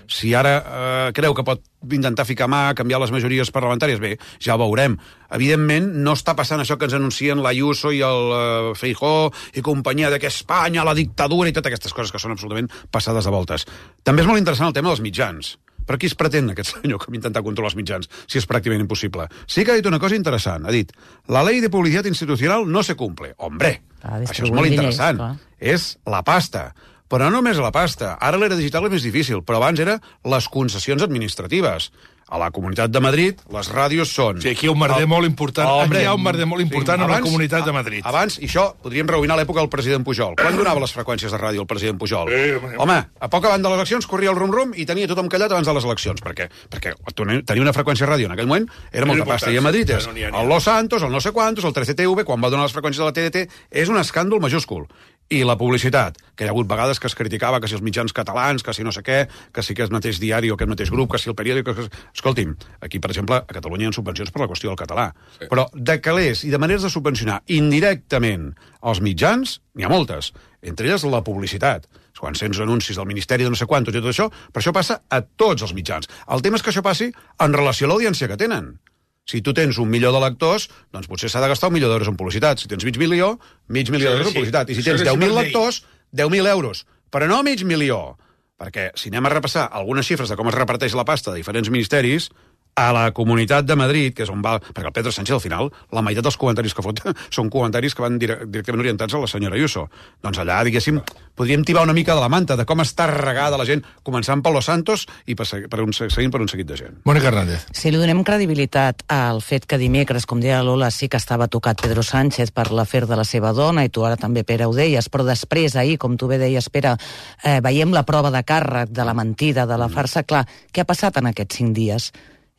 Si ara eh, creu que pot intentar ficar mà, canviar les majories parlamentàries, bé, ja ho veurem. Evidentment, no està passant això que ens anuncien l'Ayuso i el uh, Feijóo i companyia de que Espanya, la dictadura i totes aquestes coses que són absolutament passades de voltes. També és molt interessant el tema dels mitjans. Per qui es pretén aquest senyor que intentar controlar els mitjans, si és pràcticament impossible? Sí que ha dit una cosa interessant. Ha dit, la ley de publicitat institucional no se cumple. Hombre, ah, això és molt interessant. Diners, és la pasta. Però no només la pasta. Ara l'era digital és més difícil, però abans era les concessions administratives. A la Comunitat de Madrid, les ràdios són... Sí, aquí hi ha un merder el... molt important. Oh, aquí hi ha un merder molt important sí, abans, amb la Comunitat de Madrid. Abans, i això, podríem reuninar l'època del president Pujol. Quan donava les freqüències de ràdio el president Pujol? Eh, Home, a poc abans de les eleccions corria el rum-rum i tenia tothom callat abans de les eleccions. Perquè, perquè tenir una freqüència de ràdio en aquell moment era molta pasta. I a Madrid és no, el Los Santos, el no sé quantos, el trece T V, quan va donar les freqüències de la T D T, és un escàndol majúscul. I la publicitat, que hi ha hagut vegades que es criticava que si els mitjans catalans, que si no sé què, que si aquest mateix diari o aquest mateix grup, que si el periòdic... Que... Escolti'm, aquí, per exemple, a Catalunya hi ha subvencions per la qüestió del català. Sí. Però de calés i de maneres de subvencionar indirectament els mitjans, n'hi ha moltes. Entre elles la publicitat. Quan sents anuncis del Ministeri de no sé quantos i tot això, però això passa a tots els mitjans. El tema és que això passi en relació a l'audiència que tenen. Si tu tens un milió de lectors, doncs potser s'ha de gastar un milió d'euros en publicitat. Si tens mig milió, mig milió d'euros en publicitat. I si tens deu mil lectors, deu mil euros. Però no mig milió. Perquè si anem a repassar algunes xifres de com es reparteix la pasta de diferents ministeris, a la Comunitat de Madrid, que és on va... Perquè el Pedro Sánchez, al final, la meitat dels comentaris que fot són comentaris que van directament orientats a la senyora Ayuso. Doncs allà, diguéssim, podríem tibar una mica de la manta de com està regada la gent, començant per Los Santos i per, per un, seguint per un seguit de gent. Mònica Hernández. Si li donem credibilitat al fet que dimecres, com deia Lola, sí que estava tocat Pedro Sánchez per l'afer de la seva dona, i tu ara també, Pere, ho deies, però després, ahir, com tu bé deies, Pere, eh, veiem la prova de càrrec, de la mentida, de la farsa. Clar, què ha passat en aquests cinc dies?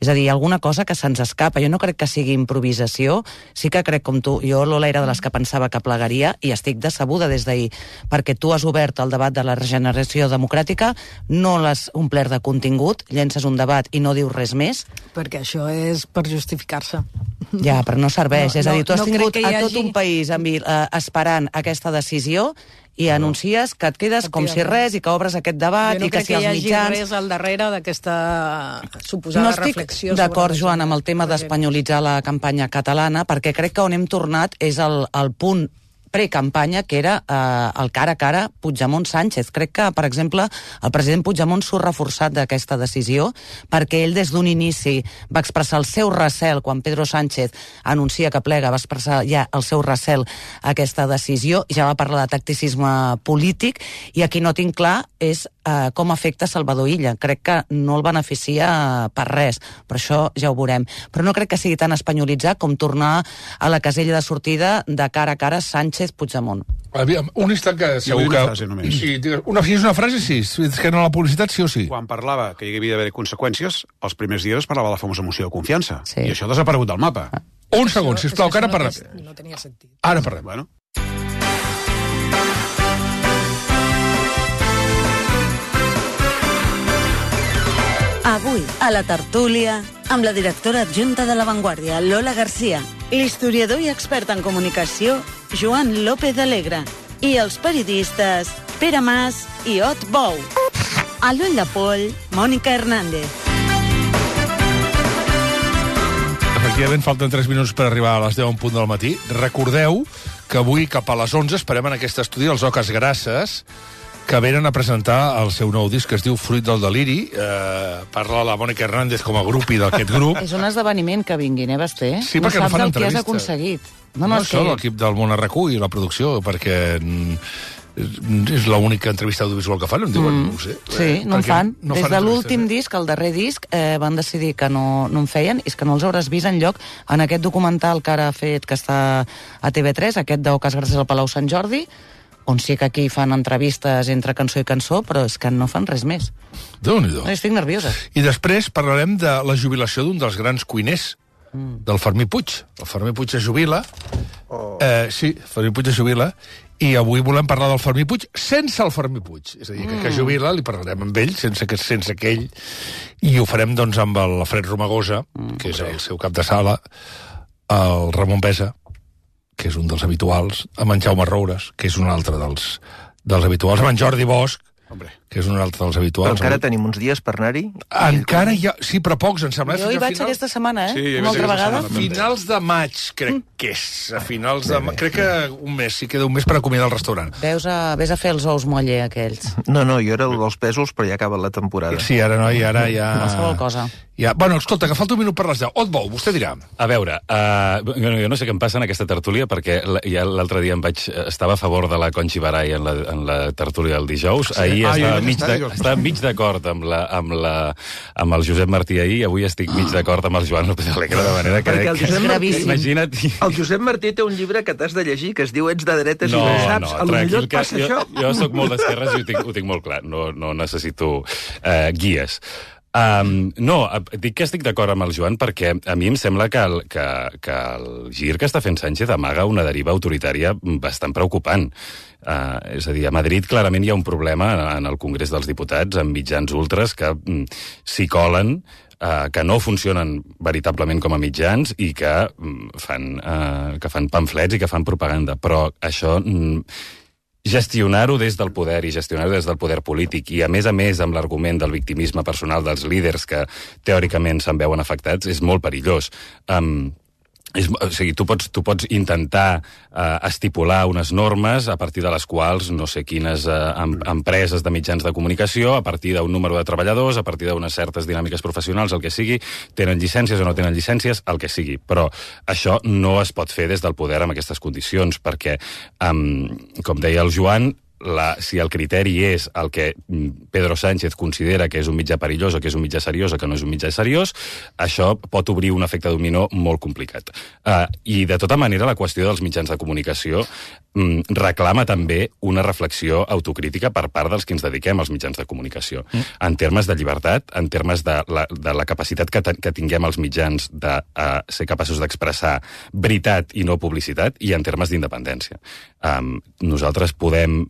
És a dir, alguna cosa que se'ns escapa. Jo no crec que sigui improvisació, sí que crec com tu. Jo, Lola, era de les que pensava que plegaria i estic decebuda des d'ahir, perquè tu has obert el debat de la regeneració democràtica, no l'has omplert de contingut, llences un debat i no dius res més. Perquè això és per justificar-se. Ja, però no serveix. No, és a dir, tu has no, no tingut crec que hi a tot hagi- un país amb, eh, esperant aquesta decisió i anuncies que et quedes com si res i que obres aquest debat Jo no i que crec si que els hi hagi mitjans... res al darrere d'aquesta suposada No estic reflexió. d'acord, sobre Joan, amb el tema d'espanyolitzar la campanya catalana, perquè crec que on hem tornat és el, el punt precampanya, que era eh, el cara a cara Puigdemont-Sánchez. Crec que, per exemple, el president Puigdemont s'ho ha reforçat d'aquesta decisió, perquè ell des d'un inici va expressar el seu recel, quan Pedro Sánchez anuncia que plega, va expressar ja el seu recel a aquesta decisió, ja va parlar de tacticisme polític, i aquí no tinc clar és eh, com afecta Salvador Illa. Crec que no el beneficia per res, però això ja ho veurem. Però no crec que sigui tan espanyolitzat com tornar a la casella de sortida de cara a cara Sánchez-Puigdemont. Aviam, un instant que Jo segur vull que... una frase només. Sí, digues, una, si és una frase, sí. És que no la publicitat, sí o sí. Quan parlava que hi havia d'haver conseqüències, els primers dies parlava de la famosa moció de confiança. Sí. I això ha desaparegut del mapa. Un segon, sisplau, que ara parlem. No tenia sentit. Ara parlem. Bueno, Avui, a la tertúlia, amb la directora adjunta de La Vanguardia, Lola Garcia, l'historiador i expert en comunicació, Joan López Alegre, i els periodistes Pere Mas i Ot Bou. A l'ull de poll, Mònica Hernández. Efectivament, falten tres minuts per arribar a les deu en punt del matí. Recordeu que avui, cap a les onze, esperem en aquest estudi els Oques Grasses, que venen a presentar el seu nou disc que es diu Fruit del Deliri. Eh, parla la Mònica Hernández com a grupi d'aquest grup. És un esdeveniment que vinguin, eh, Basté? Sí, perquè no saps fan el que has entrevista. aconseguit. No, no, això, l'equip del Món Arracú i la producció, perquè mm, és l'única entrevista audiovisual que fan, em diuen, Mm. no ho sé. Sí, no en Perquè fan. no Des fan de entrevistes, l'últim eh? disc, el darrer disc, eh, van decidir que no, no en feien, i és que no els hauràs vist enlloc en aquest documental que ara ha fet, que està a T V tres, aquest d'Oques Grasses al Palau Sant Jordi, on sí que aquí fan entrevistes entre cançó i cançó, però és que no fan res més. Déu-n'hi-do. Estic nerviosa. I després parlarem de la jubilació d'un dels grans cuiners, del Fermí Puig. El Fermí Puig es jubila. Oh. Eh, sí, Fermí Puig es jubila. I avui volem parlar del Fermí Puig sense el Fermí Puig. És a dir, que, que jubila, li parlarem amb ell, sense que sense que ell... I ho farem, doncs, amb l'Alfred Romagosa, mm, que és el seu cap de sala, el Ramon Besa, que és un dels habituals, amb en Jaume Roures, que és un altre dels, dels habituals, amb en Jordi Bosch, hombre, que és un altre dels Però habituals. encara tenim uns dies per anar-hi? Encara hi ha... Sí, però pocs, em sembla. Jo hi Fins a vaig final- aquesta setmana, eh? Sí, hi Una vaig altra aquesta vegada. setmana. Finals de maig, crec que és. A finals de maig. Crec que un mes, sí, queda un mes per acomiadar el restaurant. Veus a, ves a fer els ous moller, aquells. No, no, jo era el dels pèsols, però ja acaba la temporada. Sí, ara no, i ara ja... Qualsevol cosa. Ja... Bueno, escolta, que falta un minut per les deu. On vau? Vostè dirà. A veure, uh, jo, jo no sé què em passa en aquesta tertúlia, perquè la- ja l'altre dia em vaig, estava a favor de la Conchi Barai en la, en la tertúlia del dijous. Sí. Ahir Ah, jo estava, vaig mig estar de, dijous. estava mig d'acord amb, la, amb, la, amb el Josep Martí ahir, avui estic mig d'acord amb el Joan López Alegre, de manera que... Perquè el que- Josep És gravíssim. Imagina't... El Josep Martí té un llibre que t'has de llegir que es diu Ets de dretes No, i no ho saps. no, a lo millor tranquil, et que passa jo, això. jo sóc molt d'esquerres i ho tinc, ho tinc molt clar. No, no necessito eh, guies. Um, no, eh, dic que estic d'acord amb el Joan perquè a mi em sembla que el, que, que el gir que està fent Sánchez amaga una deriva autoritària bastant preocupant. Uh, és a dir, a Madrid clarament hi ha un problema en el Congrés dels Diputats amb mitjans ultres que mm, s'hi colen, uh, que no funcionen veritablement com a mitjans i que, mm, fan, uh, que fan pamflets i que fan propaganda. Però això... Mm, gestionar-ho des del poder i gestionar-ho des del poder polític i, a més a més, amb l'argument del victimisme personal dels líders que teòricament se'n veuen afectats, és molt perillós. Um, és, o sigui, tu pots, tu pots intentar uh, estipular unes normes a partir de les quals no sé quines uh, em, empreses de mitjans de comunicació, a partir d'un número de treballadors, a partir d'unes certes dinàmiques professionals, el que sigui, tenen llicències o no tenen llicències, el que sigui. Però això no es pot fer des del poder amb aquestes condicions, perquè, um, com deia el Joan, la, si el criteri és el que Pedro Sánchez considera que és un mitjà perillós o que és un mitjà seriós o que no és un mitjà seriós, això pot obrir un efecte dominó molt complicat. Uh, I, de tota manera, la qüestió dels mitjans de comunicació um, reclama també una reflexió autocrítica per part dels que ens dediquem als mitjans de comunicació. Mm. En termes de llibertat, en termes de la, de la capacitat que, que tinguem els mitjans de uh, ser capaços d'expressar veritat i no publicitat, i en termes d'independència. Um, nosaltres podem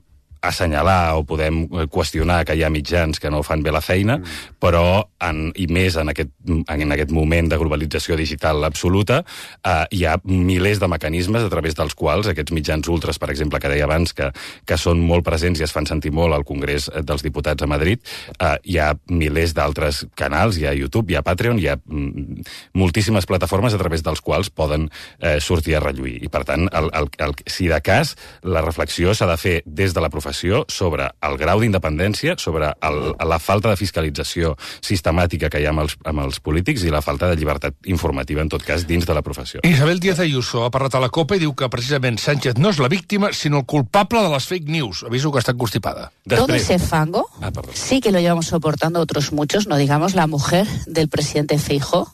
assenyalar o podem qüestionar que hi ha mitjans que no fan bé la feina, mm. però, en, i més en aquest, en aquest moment de globalització digital absoluta, eh, hi ha milers de mecanismes a través dels quals aquests mitjans ultres, per exemple, que deia abans, que, que són molt presents i es fan sentir molt al Congrés dels Diputats a Madrid, eh, hi ha milers d'altres canals, hi ha YouTube, hi ha Patreon, hi ha mm, moltíssimes plataformes a través dels quals poden eh, sortir a relluir. I, per tant, el, el, el, si de cas, la reflexió s'ha de fer des de la professió sobre el grau d'independència, sobre el, la falta de fiscalització sistemàtica que hi ha amb els, amb els polítics i la falta de llibertat informativa, en tot cas, dins de la professió. Isabel Díaz Ayuso ha parlat a la COPE i diu que precisament Sánchez no és la víctima, sinó el culpable de les fake news. Aviso que està constipada. Després... Todo ese fango ah, sí que lo llevamos soportando otros muchos, no digamos la mujer del presidente Feijóo,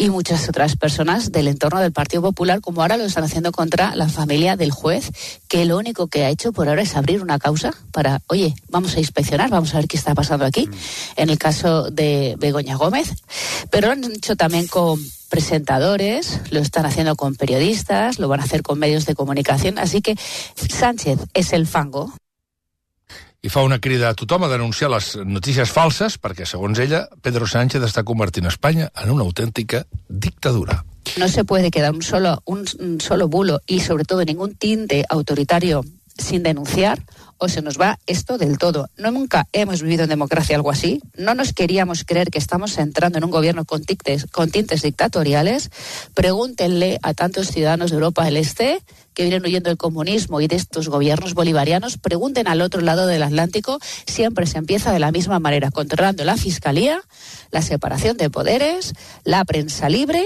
y muchas otras personas del entorno del Partido Popular, como ahora lo están haciendo contra la familia del juez, que lo único que ha hecho por ahora es abrir una causa para, oye, vamos a inspeccionar, vamos a ver qué está pasando aquí, en el caso de Begoña Gómez. Pero lo han hecho también con presentadores, lo están haciendo con periodistas, lo van a hacer con medios de comunicación, así que Sánchez es el fango. I fa una crida a tothom a denunciar les notícies falses perquè, segons ella, Pedro Sánchez està convertint Espanya en una autèntica dictadura. No se puede quedar un solo, un, un solo bulo y, sobre todo, ningún tinte autoritario sin denunciar, o se nos va esto del todo. No, nunca hemos vivido en democracia algo así. No nos queríamos creer que estamos entrando en un gobierno con tintes, con tintes dictatoriales. Pregúntenle a tantos ciudadanos de Europa del Este que vienen huyendo del comunismo y de estos gobiernos bolivarianos. Pregunten al otro lado del Atlántico. Siempre se empieza de la misma manera, controlando la fiscalía, la separación de poderes, la prensa libre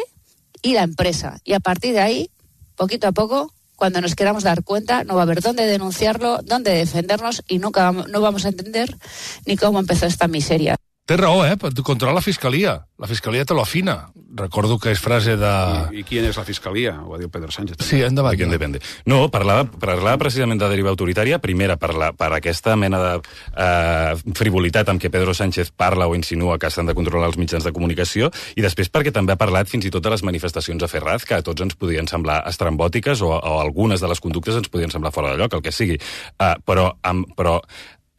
y la empresa. Y a partir de ahí, poquito a poco, cuando nos queramos dar cuenta, no va a haver dónde denunciarlo, dónde defendernos y nunca vamos, no vamos a entender ni cómo empezó esta miseria. Té raó, eh? Per controlar la fiscalia. La fiscalia te lo afina. Recordo que és frase de... I, i quina és la fiscalia? Ho ha dit Pedro Sánchez. També. Sí, endavant. De depende. No, parlava, parlava precisament de deriva autoritària, primera, per, la, per aquesta mena de eh, frivolitat amb què Pedro Sánchez parla o insinua que s'han de controlar els mitjans de comunicació, i després perquè també ha parlat fins i tot de les manifestacions a Ferraz, que a tots ens podien semblar estrambòtiques o, o algunes de les conductes ens podien semblar fora de lloc, el que sigui. Uh, però, um, però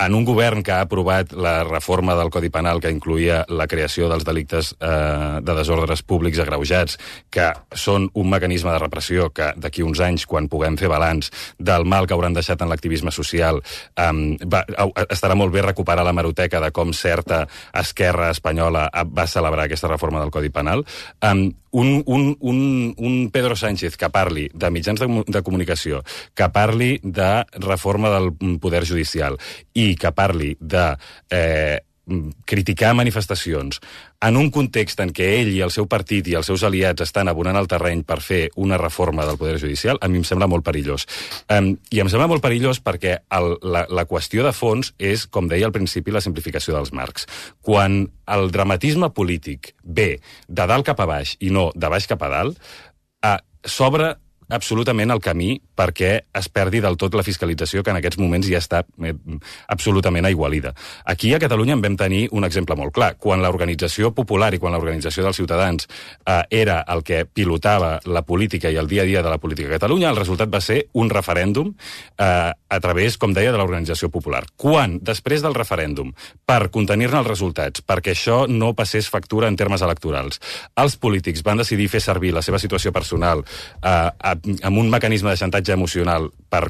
en un govern que ha aprovat la reforma del Codi Penal que incluïa la creació dels delictes eh, de desordres públics agreujats, que són un mecanisme de repressió que d'aquí uns anys, quan puguem fer balanç del mal que hauran deixat en l'activisme social, eh, va, estarà molt bé recuperar la hemeroteca de com certa esquerra espanyola va celebrar aquesta reforma del Codi Penal. Eh, un, un, un, un Pedro Sánchez que parli de mitjans de, de comunicació, que parli de reforma del poder judicial i que parli de eh, criticar manifestacions en un context en què ell i el seu partit i els seus aliats estan abonant el terreny per fer una reforma del Poder Judicial, a mi em sembla molt perillós. Um, I em sembla molt perillós perquè el, la, la qüestió de fons és, com deia al principi, la simplificació dels marcs. Quan el dramatisme polític ve de dalt cap a baix i no de baix cap a dalt, uh, s'obre absolutament el camí perquè es perdi del tot la fiscalització que en aquests moments ja està eh, absolutament aigualida. Aquí a Catalunya en vam tenir un exemple molt clar. Quan l'organització popular i quan l'organització dels ciutadans eh, era el que pilotava la política i el dia a dia de la política a Catalunya, el resultat va ser un referèndum eh, a través, com deia, de l'organització popular. Quan, després del referèndum, per contenir-ne els resultats, perquè això no passés factura en termes electorals, els polítics van decidir fer servir la seva situació personal eh, amb un mecanisme de xantatge emocional per,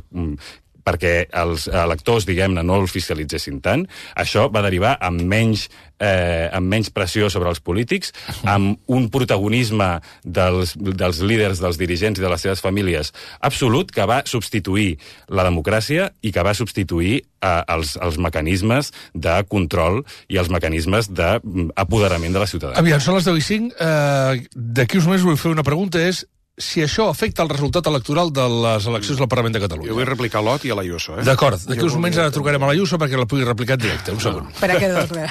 perquè els electors, diguem-ne, no els fiscalitzessin tant, això va derivar amb menys, eh, amb menys pressió sobre els polítics, amb un protagonisme dels, dels líders, dels dirigents i de les seves famílies absolut, que va substituir la democràcia i que va substituir eh, els, els mecanismes de control i els mecanismes d'apoderament de la ciutadania. Aviam, són les deu i cinc. Eh, D'aquí uns mesos vull fer una pregunta, és si això afecta el resultat electoral de les eleccions del Parlament de Catalunya. Jo vull replicar a l'Ot i a l'Ayuso, eh? D'acord, d'aquí uns moments ara trucarem a l'Ayuso perquè la pugui replicar en directe. Un segon. Espera que dos, bé.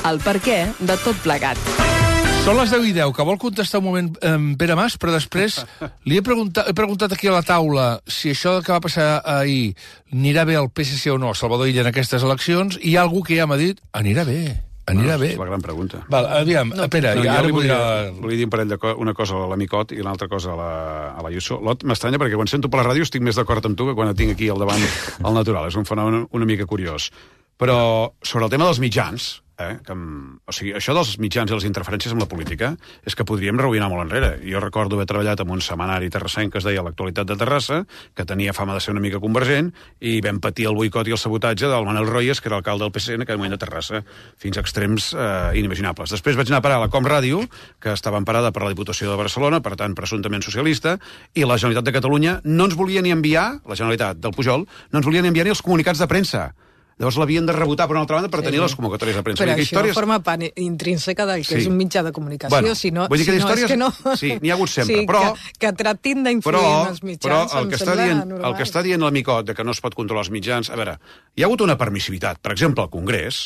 El per què de tot plegat. Són les deu i deu, que vol contestar un moment eh, Pere Mas, però després li he preguntat, he preguntat aquí a la taula si això que va passar ahir anirà bé al P S C o no, Salvador Illa, en aquestes eleccions, i hi ha algú que ja m'ha dit, anirà bé, anirà no, bé. És la gran pregunta. Val, aviam, no, Pere, no, ja ara li volia... volia dir un parell de co una cosa a l'Amicot i una altra cosa a la, a la Iuso. Lot, m'estranya perquè quan sento per la ràdio estic més d'acord amb tu que quan et tinc aquí al davant al natural. És un fenomen una mica curiós. Però sobre el tema dels mitjans, eh, que, o sigui, això dels mitjans i les interferències amb la política és que podríem reoïnar molt enrere. Jo recordo haver treballat en un setmanari terrassenc que es deia L'Actualitat de Terrassa, que tenia fama de ser una mica convergent, i vam patir el boicot i el sabotatge del Manel Royes, que era alcalde del P S C en aquell moment de Terrassa, fins a extrems eh, inimaginables. Després vaig anar a parar a la Com Ràdio, que estava emparada per la Diputació de Barcelona, per tant, presumptament socialista, i la Generalitat de Catalunya no ens volia ni enviar, la Generalitat del Pujol, no ens volia ni enviar ni els comunicats de premsa. Llavors l'havien de rebotar per una altra banda per sí, tenir les convocatòries de premsa. Però això històries... forma part intrínseca del que sí. és un mitjà de comunicació. Bueno, si no, vull dir que si històries... no, és que no... Sí, n'hi ha hagut sempre, sí, però... Que, que tractin d'influir en els mitjans, però el em que sembla està dient, normal. el que està dient l'Amicot de que no es pot controlar els mitjans... A veure, hi ha hagut una permissivitat. Per exemple, al Congrés,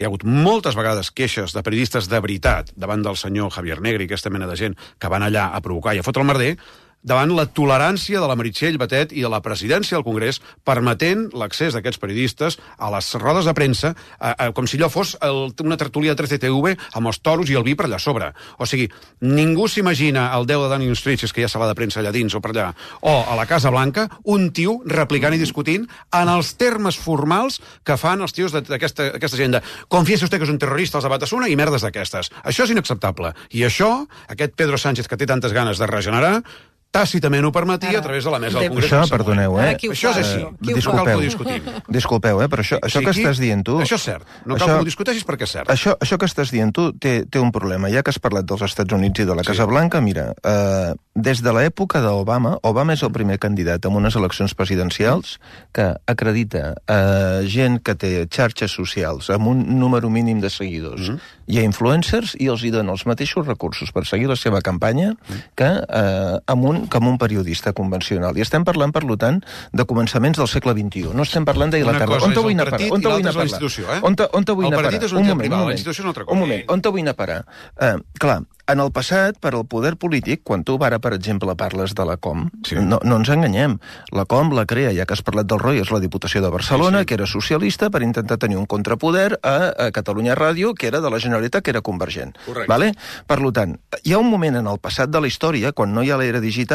hi ha hagut moltes vegades queixes de periodistes de veritat davant del senyor Javier Negri, aquesta mena de gent que van allà a provocar i a fotre el merder, davant la tolerància de la Meritxell Batet i de la presidència del Congrés, permetent l'accés d'aquests periodistes a les rodes de premsa, a, a, com si allò fos el, una tertúlia de tres C T V amb els toros i el vi per allà sobre. O sigui, ningú s'imagina el deu de Downing Street, és que hi ha sala de premsa allà dins o per allà, o a la Casa Blanca, un tio replicant i discutint en els termes formals que fan els tios d'aquesta gent de confiesa usted que és un terrorista, els de Batasuna i merdes d'aquestes. Això és inacceptable. I això, aquest Pedro Sánchez que té tantes ganes de regenerar, tàcitament ho permetia a través de la mesa del Congrés. Això, perdoneu, eh? Això és així. Disculpeu, no cal que ho discutim. Disculpeu, eh? Però això, això que estàs dient tu... Això és cert. No cal que ho discuteixis perquè és cert. Això, això que estàs dient tu té, té un problema. Ja que has parlat dels Estats Units i de la Casa Blanca, mira, eh, des de l'època d'Obama, Obama és el primer candidat en unes eleccions presidencials que acredita eh, gent que té xarxes socials amb un número mínim de seguidors. Mm -hmm. Hi ha influencers i els hi donen els mateixos recursos per seguir la seva campanya que eh, amb un com un periodista convencional. I estem parlant, per tant, de començaments del segle vint-i-u. No estem parlant d'Anglaterra. On te vull anar a parar? On te vull anar a parar? On te, on te vull anar a parar? Un moment, un moment. Un moment. On te vull anar a parar? Uh, clar, en el passat, per al poder polític, quan tu ara, per exemple, parles de la Com, sí. no, no ens enganyem. La Com la crea, ja que has parlat del Roy, és la Diputació de Barcelona, sí, sí. que era socialista, per intentar tenir un contrapoder a, a Catalunya Ràdio, que era de la Generalitat, que era convergent. Vale? Per tant, hi ha un moment en el passat de la història, quan no hi ha l'era digital,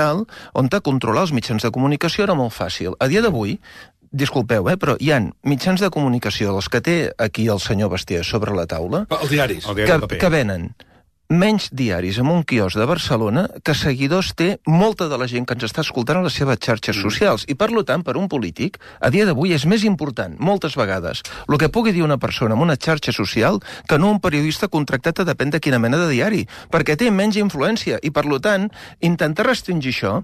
on controlar els mitjans de comunicació era molt fàcil. A dia d'avui, disculpeu, eh, però hi ha mitjans de comunicació, dels que té aquí el senyor Bastià sobre la taula, els diaris, el diari que, que venen menys diaris en un quiosc de Barcelona que seguidors té molta de la gent que ens està escoltant a les seves xarxes socials. I, per tant, per un polític, a dia d'avui és més important, moltes vegades, el que pugui dir una persona en una xarxa social que no un periodista contractat a depèn de quina mena de diari, perquè té menys influència. I, per tant, intentar restringir això,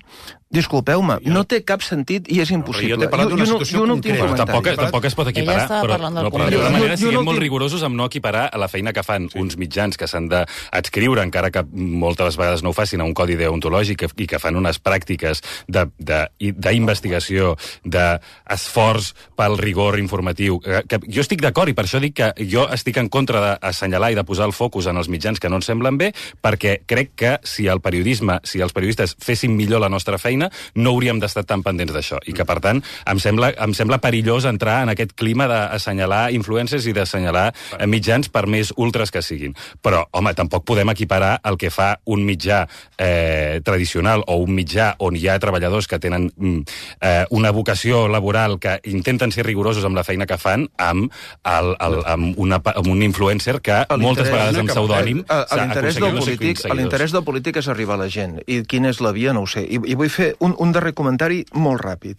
disculpeu-me, jo... no té cap sentit i és impossible. Però jo t'he parlat d'una situació concreta. Tampoc, tampoc es pot equiparar, però, no, però de tota manera siguem molt rigorosos amb no equiparar a la feina que fan sí. uns mitjans que s'han d'adscriure, encara que moltes vegades no ho facin, a un codi deontològic i que fan unes pràctiques d'investigació, d'esforç pel rigor informatiu. Que jo estic d'acord i per això dic que jo estic en contra d'assenyalar i de posar el focus en els mitjans que no ens semblen bé, perquè crec que si el periodisme, si els periodistes fessin millor la nostra feina, no hauríem d'estar tan pendents d'això. I que, per tant, em sembla, em sembla perillós entrar en aquest clima d'assenyalar influencers i d'assenyalar mitjans per més ultres que siguin. Però, home, tampoc podem equiparar el que fa un mitjà eh, tradicional o un mitjà on hi ha treballadors que tenen eh, una vocació laboral que intenten ser rigorosos amb la feina que fan amb, el, el, amb, una, amb un influencer que moltes vegades amb pseudònim s'ha aconseguit no sé quins seguidors. L'interès del polític és arribar a la gent. I quina és la via, no ho sé. I, i vull fer un, un darrer comentari molt ràpid.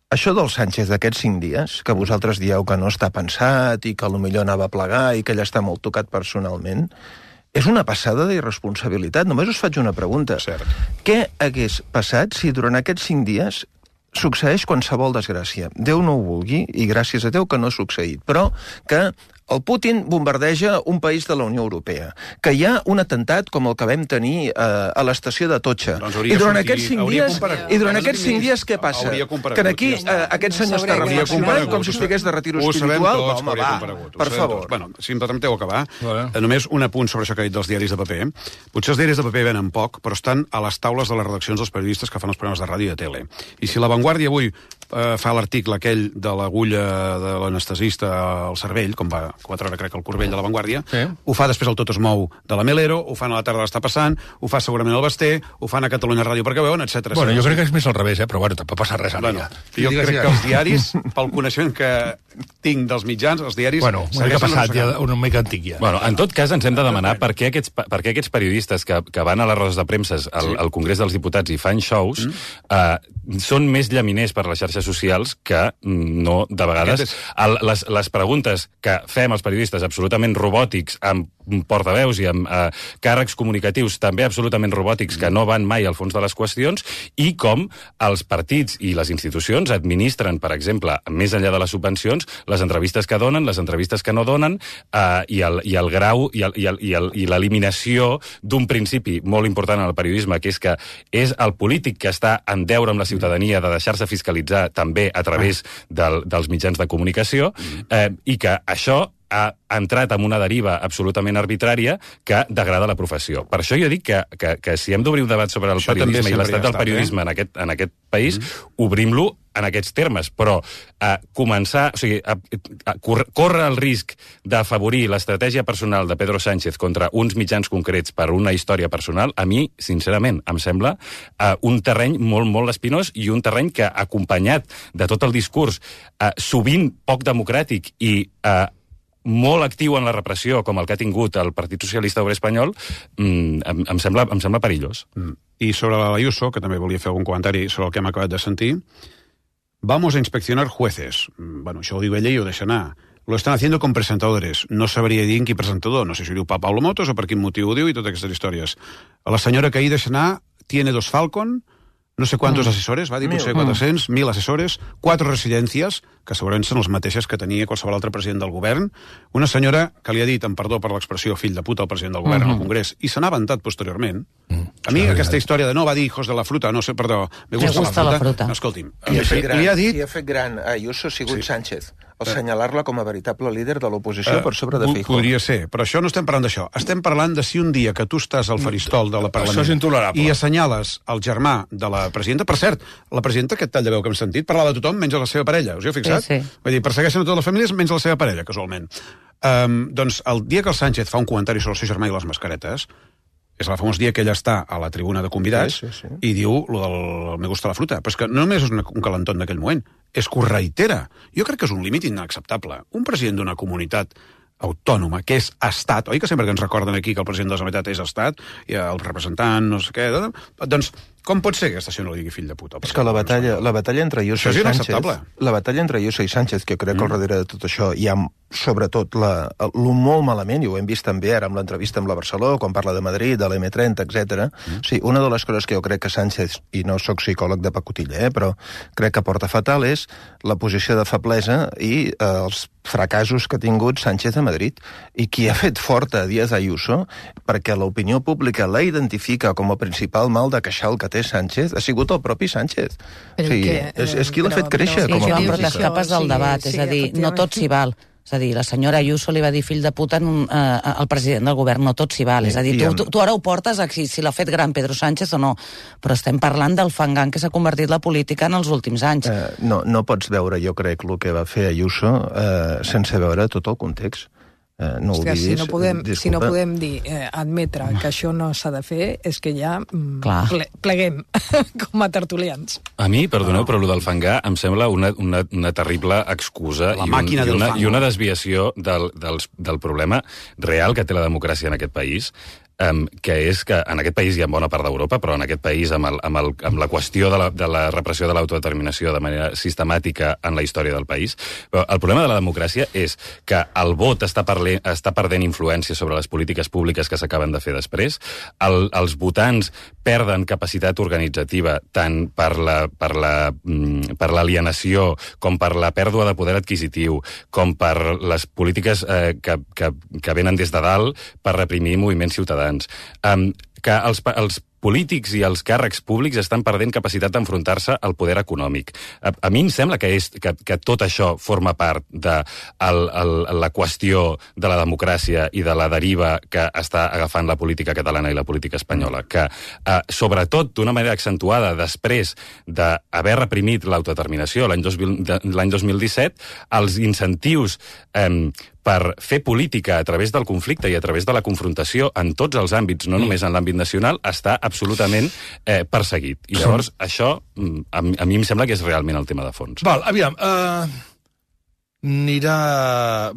Això del Sánchez d'aquests cinc dies, que vosaltres dieu que no està pensat i que potser anava a plegar i que ell està molt tocat personalment, és una passada d'irresponsabilitat. Només us faig una pregunta. Cert. Què hagués passat si durant aquests cinc dies succeeix qualsevol desgràcia? Déu no ho vulgui, i gràcies a Déu que no ha succeït, però que el Putin bombardeja un país de la Unió Europea, que hi ha un atemptat com el que vam tenir eh, a l'estació de Totxa. Doncs I durant sortir, aquests cinc dies, i durant aquests cinc dies què passa? Que aquí eh, aquest senyor està reflexionant com si estigués de retiro espiritual. Tots, home, va, per favor. Bueno, si em permeteu acabar, vale. Només un apunt sobre això que ha dit dels diaris de paper. Potser els diaris de paper venen poc, però estan a les taules de les redaccions dels periodistes que fan els programes de ràdio i de tele. I si La Vanguardia avui eh, fa l'article aquell de l'agulla de l'anestesista al cervell, com va, com va treure, crec, el Corbell de La Vanguardia, sí. Ho fa després el Tot es mou de la Melero, ho fan a la tarda l'està passant, ho fa segurament el Basté, ho fan a Catalunya Ràdio perquè veuen, etcètera. Bueno, jo crec que és més al revés, eh? Però bueno, tampoc passa res ara. Bueno, jo crec que els diaris, pel coneixement que tinc dels mitjans, els diaris... Bueno, una mica passat, ja, una mica antic ja. Bueno, en tot cas, ens hem de demanar per què aquests, per què aquests periodistes que, que van a les rodes de premsa al, sí. al Congrés dels Diputats i fan shows mm. eh, són més llaminers per les xarxes socials que no, de vegades... És... El, les, les preguntes que fem els periodistes absolutament robòtics, amb portaveus i amb eh, càrrecs comunicatius també absolutament robòtics que no van mai al fons de les qüestions, i com els partits i les institucions administren, per exemple, més enllà de les subvencions, les entrevistes que donen, les entrevistes que no donen, eh, i, el, i el grau i, el, i, el, i, el, i l'eliminació d'un principi molt important en el periodisme, que és que és el polític que està en deure amb la ciutadania de deixar-se fiscalitzar també a través del, dels mitjans de comunicació, eh, i que això ha entrat en una deriva absolutament arbitrària que degrada la professió. Per això jo dic que, que, que si hem d'obrir un debat sobre el això periodisme i l'estat del periodisme eh? en, aquest, en aquest país, mm. obrim-lo en aquests termes, però a començar, o sigui, a, a córrer el risc d'afavorir l'estratègia personal de Pedro Sánchez contra uns mitjans concrets per una història personal, a mi, sincerament, em sembla uh, un terreny molt, molt espinós i un terreny que, acompanyat de tot el discurs, uh, sovint poc democràtic i uh, molt actiu en la repressió, com el que ha tingut el Partit Socialista Obrer Espanyol, mm, em, em, sembla, em sembla perillós. Mm. I sobre l'Ayuso, que també volia fer algun comentari sobre el que hem acabat de sentir, vamos a inspeccionar jueces. Bueno, això ho diu ella i ho deixa anar. Lo están haciendo con presentadores. No sabria dir en qui presentador. No sé si ho diu pa Pablo Motos o per quin motiu ho diu i totes aquestes històries. La senyora que ahir deixa anar tiene dos Falcon, no sé quantos mm. assessores, va dir, potser quatre-cents, mil assessores, quatre residències, que segurament són les mateixes que tenia qualsevol altre president del govern, una senyora que li ha dit, amb perdó per l'expressió, fill de puta al president del govern mm -hmm. al Congrés, i se n'ha avantat posteriorment. Mm. A mi aquesta història de no, va dir hijos de la fruta, no sé, perdó, me gusta, me gusta la, fruta. la fruta. No, escolti'm, I ha fet gran, li ha dit... I ha fet gran a Ayuso ha sigut sí. Sánchez, al assenyalar-la com a veritable líder de l'oposició uh, per sobre de Feijóo. Podria ser, però això no estem parlant d'això. Estem parlant de si un dia que tu estàs al faristol de la Parlament això és intolerable. I assenyales el germà de la presidenta, per cert, la presidenta, aquest tall de veu que hem sentit, parlava de tothom menys de la seva parella, us hi heu fixat? Sí, sí. Vull dir, persegueixen a totes les famílies menys la seva parella, casualment. Um, doncs el dia que el Sánchez fa un comentari sobre el seu germà i les mascaretes, és el famós dia que ella està a la tribuna de convidats sí, sí, sí. i diu lo del me gusta la fruta. Però és que no només és una, un calentón d'aquell moment, és que ho reitera. Jo crec que és un límit inacceptable. Un president d'una comunitat autònoma, que és estat, oi que sempre que ens recorden aquí que el president de la Generalitat és estat, i el representant, no sé què, doncs com pot ser que aquesta no li digui fill de puta? És que la batalla, la batalla entre Ayuso i Sánchez, la batalla entre Ayuso i Sánchez, que jo crec que al darrere de tot això hi ha sobretot la, el molt malament, i ho hem vist també ara amb l'entrevista amb la Barceló, quan parla de Madrid, de l'M trenta, etcètera. Mm. Sí, una de les coses que jo crec que Sánchez, i no sóc psicòleg de pacotilla, eh, però crec que porta fatal és la posició de feblesa i eh, els fracassos que ha tingut Sánchez a Madrid, i qui ha fet forta a Díaz Ayuso perquè l'opinió pública la identifica com a principal mal de queixal que té Sánchez ha sigut el propi Sánchez. O sigui, que, és, és qui l'ha fet créixer sí, com a Joan, política. Però t'escapes del debat, sí, és a dir, no tot s'hi val. És a dir, la senyora Ayuso li va dir fill de puta un, eh, al president del govern, no tot s'hi val. És a dir, tu, tu, tu ara ho portes a si, si l'ha fet gran Pedro Sánchez o no, però estem parlant del fangang que s'ha convertit la política en els últims anys. Eh, no, no pots veure, jo crec, el que va fer Ayuso eh, sense veure tot el context. Eh, no Hòstia, si no podem, si no podem dir, eh, admetre que això no s'ha de fer, és que ja mm, ple, pleguem com a tertulians. A mi, perdoneu, però el del fangar em sembla una, una, una terrible excusa la i, un, i, una, i una desviació del, del, del problema real que té la democràcia en aquest país. um, que és que en aquest país hi ha bona part d'Europa, però en aquest país, amb, el, amb, el, amb la qüestió de la, de la repressió de l'autodeterminació de manera sistemàtica en la història del país, però el problema de la democràcia és que el vot està, parle, està perdent influència sobre les polítiques públiques que s'acaben de fer després, el, els votants perden capacitat organitzativa tant per la, per la, per l'alienació com per la pèrdua de poder adquisitiu, com per les polítiques eh, que, que, que venen des de dalt per reprimir moviments ciutadans. Um, que els, els polítics i els càrrecs públics estan perdent capacitat d'enfrontar-se al poder econòmic. A, a mi em sembla que, és, que, que tot això forma part de el, el, la qüestió de la democràcia i de la deriva que està agafant la política catalana i la política espanyola, que eh, sobretot d'una manera accentuada després d'haver reprimit l'autodeterminació l'any dos mil disset, els incentius eh, per fer política a través del conflicte i a través de la confrontació en tots els àmbits, no només en l'àmbit nacional, està absolutament eh, perseguit. I llavors, això, a, a mi em sembla que és realment el tema de fons. Val, aviam, uh, anirà...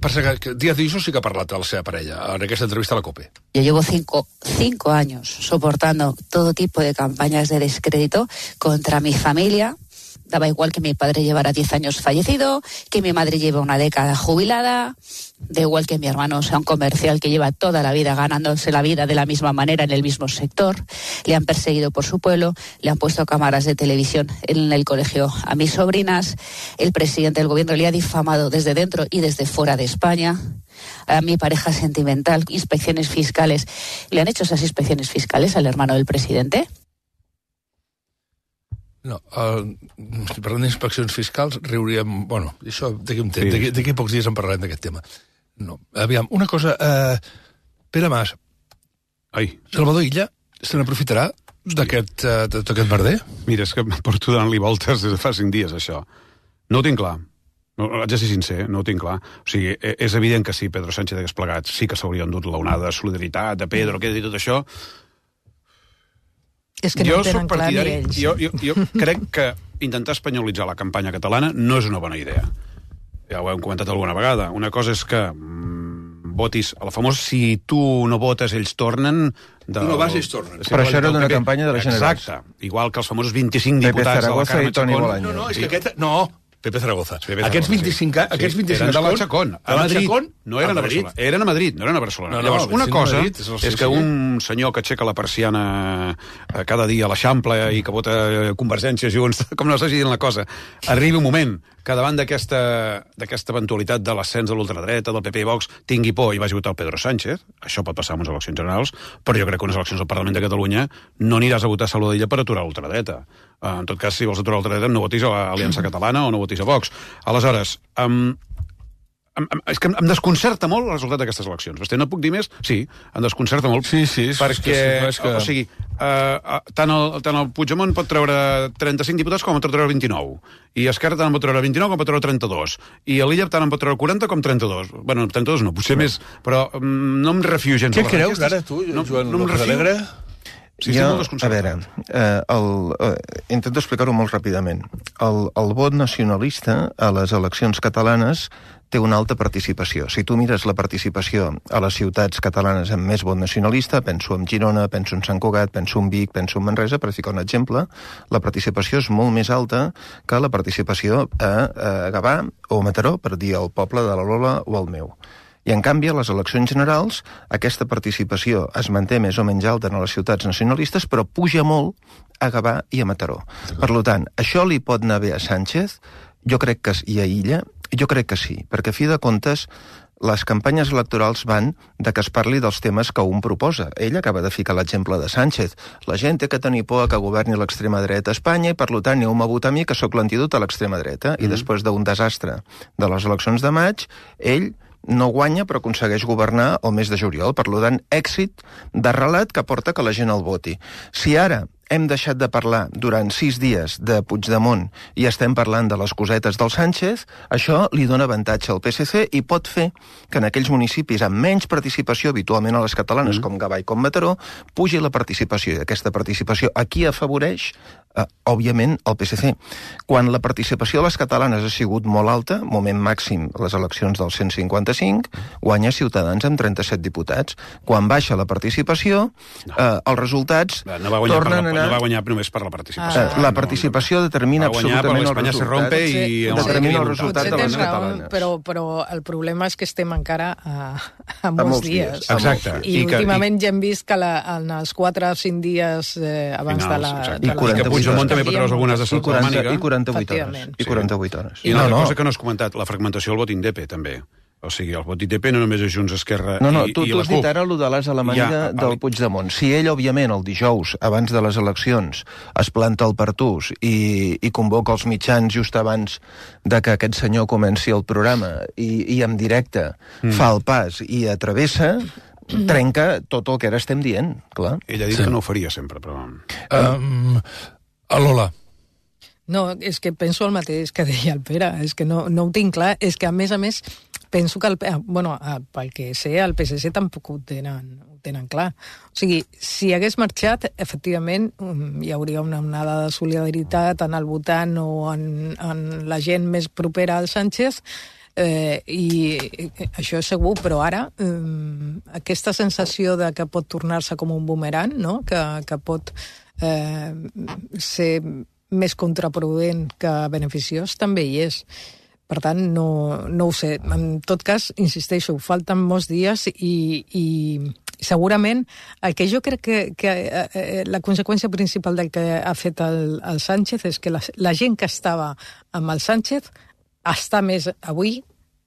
Per ser que Díaz Ayuso sí que ha parlat de la seva parella en aquesta entrevista a la COPE. Yo llevo cinco, cinco años soportando todo tipo de campañas de descrédito contra mi familia. Daba igual que mi padre llevara diez años fallecido, que mi madre lleve una década jubilada, da igual que mi hermano sea un comercial que lleva toda la vida ganándose la vida de la misma manera en el mismo sector. Le han perseguido por su pueblo, le han puesto cámaras de televisión en el colegio a mis sobrinas, el presidente del gobierno le ha difamado desde dentro y desde fuera de España. A mi pareja sentimental, inspecciones fiscales. ¿Le han hecho esas inspecciones fiscales al hermano del presidente? No, uh, si parlem d'inspeccions fiscals, riuríem... Bueno, això d'aquí un temps, sí. d'aquí pocs dies en parlarem d'aquest tema. No, aviam, una cosa... Uh, Pere Mas, Ai. Salvador Illa se n'aprofitarà d'aquest uh, d'aquest merder? Mira, és que porto donant-li voltes des de fa cinc dies, això. No ho tinc clar. No, haig de ser sincer, no ho tinc clar. O sigui, és evident que si Pedro Sánchez hagués plegat, sí que s'hauria endut l'onada de solidaritat, de Pedro, què i tot això... És que no jo tenen clar ni ells. Jo, jo, jo crec que intentar espanyolitzar la campanya catalana no és una bona idea. Ja ho hem comentat alguna vegada. Una cosa és que mm, votis a la famosa si tu no votes, ells tornen... Del... Tu no vas, ells tornen. Però això era d'una campanya de la Generalitat. Exacte. Igual que els famosos vint-i-cinc diputats de la Carme Chacón. No, no, és que aquest... No, Pepe Zaragoza. Pepe Zaragoza, aquests vint-i-cinc, sí. aquests vint-i-cinc eren de la Chacón. A Madrid. No eren a, a Barcelona. Eren a Madrid, no eren a Barcelona. No, no, Llavors, una cosa Madrid, és, és que un senyor que aixeca la persiana cada dia a l'Eixample i que vota Convergència Junts, com no s'hagi dit la cosa, arribi un moment que davant d'aquesta d'aquesta eventualitat de l'ascens de l'ultradreta, del P P i Vox, tingui por i vagi a votar el Pedro Sánchez. Això pot passar en unes eleccions generals, però jo crec que unes eleccions al Parlament de Catalunya no aniràs a votar Salvador Illa per aturar l'ultradreta. En tot cas, si vols aturar l'ultradreta, no votis a l'Aliança Catalana o no votis a Vox. Aleshores, um, em, em, és que em desconcerta molt el resultat d'aquestes eleccions. Basté, no puc dir més? Sí, em desconcerta molt. Sí, sí. Perquè, és que sí, és que... o sigui, uh, tant, el, tant el Puigdemont pot treure trenta-cinc diputats com pot treure vint-i-nou. I Esquerra tant en pot treure vint-i-nou com pot treure trenta-dos. I a l'Illa tant en pot treure quaranta com trenta-dos. Bueno, trenta-dos no, potser no. més, però um, no em refio gens. Què creus ara, tu, no, Joan no López Alegre? Sí, jo, a veure, eh, el, eh, intento explicar-ho molt ràpidament. El, el vot nacionalista a les eleccions catalanes té una alta participació. Si tu mires la participació a les ciutats catalanes amb més vot nacionalista, penso en Girona, penso en Sant Cugat, penso en Vic, penso en Manresa, per ficar un exemple, la participació és molt més alta que la participació a, a Gavà o a Mataró, per dir el poble de la Lola o el meu. I, en canvi, a les eleccions generals, aquesta participació es manté més o menys alta en les ciutats nacionalistes, però puja molt a Gavà i a Mataró. Per tant, això li pot anar bé a Sánchez? Jo crec que i a Illa? Jo crec que sí, perquè, a fi de comptes, les campanyes electorals van de que es parli dels temes que un proposa. Ell acaba de ficar l'exemple de Sánchez. La gent té que tenir por que governi l'extrema dreta a Espanya i, per tant, aneu-me a votar a mi, que sóc l'antidot a l'extrema dreta. Mm. I després d'un desastre de les eleccions de maig, ell no guanya, però aconsegueix governar el mes de juliol. Per tant, èxit de relat que porta que la gent el voti. Si ara hem deixat de parlar durant sis dies de Puigdemont i estem parlant de les cosetes del Sánchez, això li dona avantatge al P S C i pot fer que en aquells municipis amb menys participació, habitualment a les catalanes, mm. com Gavà i com Mataró, pugi la participació. I aquesta participació aquí afavoreix Uh, òbviament, el P S C. Quan la participació de les catalanes ha sigut molt alta, moment màxim les eleccions del cent cinquanta-cinc, guanya Ciutadans amb trenta-set diputats. Quan baixa la participació, no. uh, els resultats no va guanyar tornen per la, a anar... No va guanyar només per la participació. Uh, la participació determina absolutament el resultat. Se rompe i... Determina el resultat de les catalanes. Però, però el problema és que estem encara a, a, molts, a molts dies. dies. Exacte. I, I últimament que, ja hem vist que la, en els quatre o cinc dies eh, abans finals, de la... De I la Puigdemont també pot treure algunes de salta de màniga. I quaranta-vuit hores. I quaranta-vuit hores. I una no, cosa no. que no has comentat, la fragmentació del vot I N D P, també. O sigui, el vot I N D P no només és Junts, Esquerra no, no, i, tu, i tu la CUP. Tu has dit ara allò de l'as a la màniga ja, del Puigdemont. Si ell, òbviament, el dijous, abans de les eleccions, es planta al Pertús i, i convoca els mitjans just abans de que aquest senyor comenci el programa i, i en directe mm. fa el pas i atravessa, trenca tot el que ara estem dient, clar. Ell ha dit sí. que no ho faria sempre, però... Um, a Lola. No, és que penso el mateix que deia el Pere, és que no, no ho tinc clar, és que a més a més penso que, el, bueno, pel que sé, el P S C tampoc ho tenen, ho tenen clar. O sigui, si hagués marxat, efectivament, hi hauria una onada de solidaritat en el votant o en, en la gent més propera al Sánchez, Eh, i això és segur, però ara eh, aquesta sensació de que pot tornar-se com un boomerang, no? que, que pot eh, ser més contraproduent que beneficiós, també hi és. Per tant, no, no ho sé. En tot cas, insisteixo, falten molts dies i, i segurament el que jo crec que, que eh, la conseqüència principal del que ha fet el, el Sánchez és que la, la gent que estava amb el Sánchez està més avui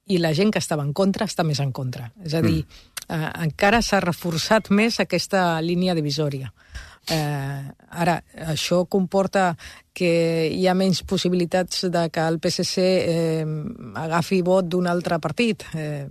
i la gent que estava en contra està més en contra. És a dir, mm. eh, encara s'ha reforçat més aquesta línia divisòria. Eh, ara, això comporta que hi ha menys possibilitats de que el P S C eh, agafi vot d'un altre partit. Eh,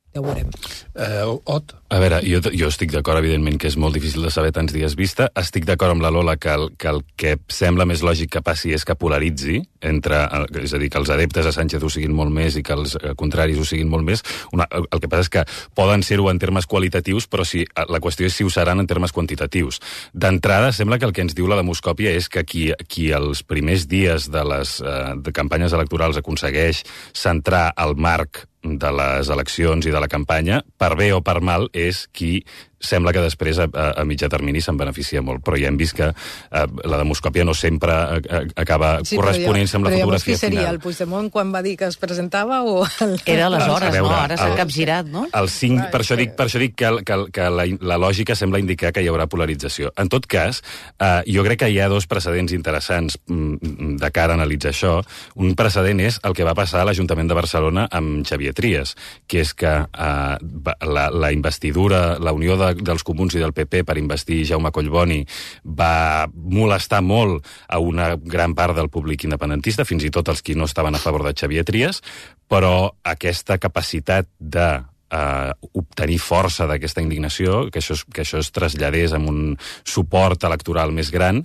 ja ho veurem. Eh, Ot? A veure, jo, jo estic d'acord, evidentment, que és molt difícil de saber tants dies vista. Estic d'acord amb la Lola que el, que el que sembla més lògic que passi és que polaritzi, entre, és a dir, que els adeptes a Sánchez ho siguin molt més i que els contraris ho siguin molt més. Una, el que passa és que poden ser-ho en termes qualitatius, però si, la qüestió és si ho seran en termes quantitatius. D'entrada, sembla que el que ens diu la demoscòpia és que qui, qui els primers dies de les eh, de campanyes electorals aconsegueix centrar el marc de les eleccions i de la campanya, per bé o per mal, és qui sembla que després a, a mitjà termini se'n beneficia molt, però ja hem vist que eh, la demoscòpia no sempre a, a, acaba sí, corresponent-se amb la fotografia final. Però llavors qui seria? Final. El Puigdemont quan va dir que es presentava o... El... Era aleshores, veure, no? Ara s'ha el, capgirat, no? El cinc, per, això dic, per això dic que, que, que la, la lògica sembla indicar que hi haurà polarització. En tot cas, eh, jo crec que hi ha dos precedents interessants mm, de cara a analitzar això. Un precedent és el que va passar a l'Ajuntament de Barcelona amb Xavier Trias, que és que eh, la, la investidura, la unió de, dels comuns i del P P per investir Jaume Collboni va molestar molt a una gran part del públic independentista, fins i tot els qui no estaven a favor de Xavier Trias, però aquesta capacitat de Uh, obtenir força d'aquesta indignació, que això, es, que això es traslladés amb un suport electoral més gran,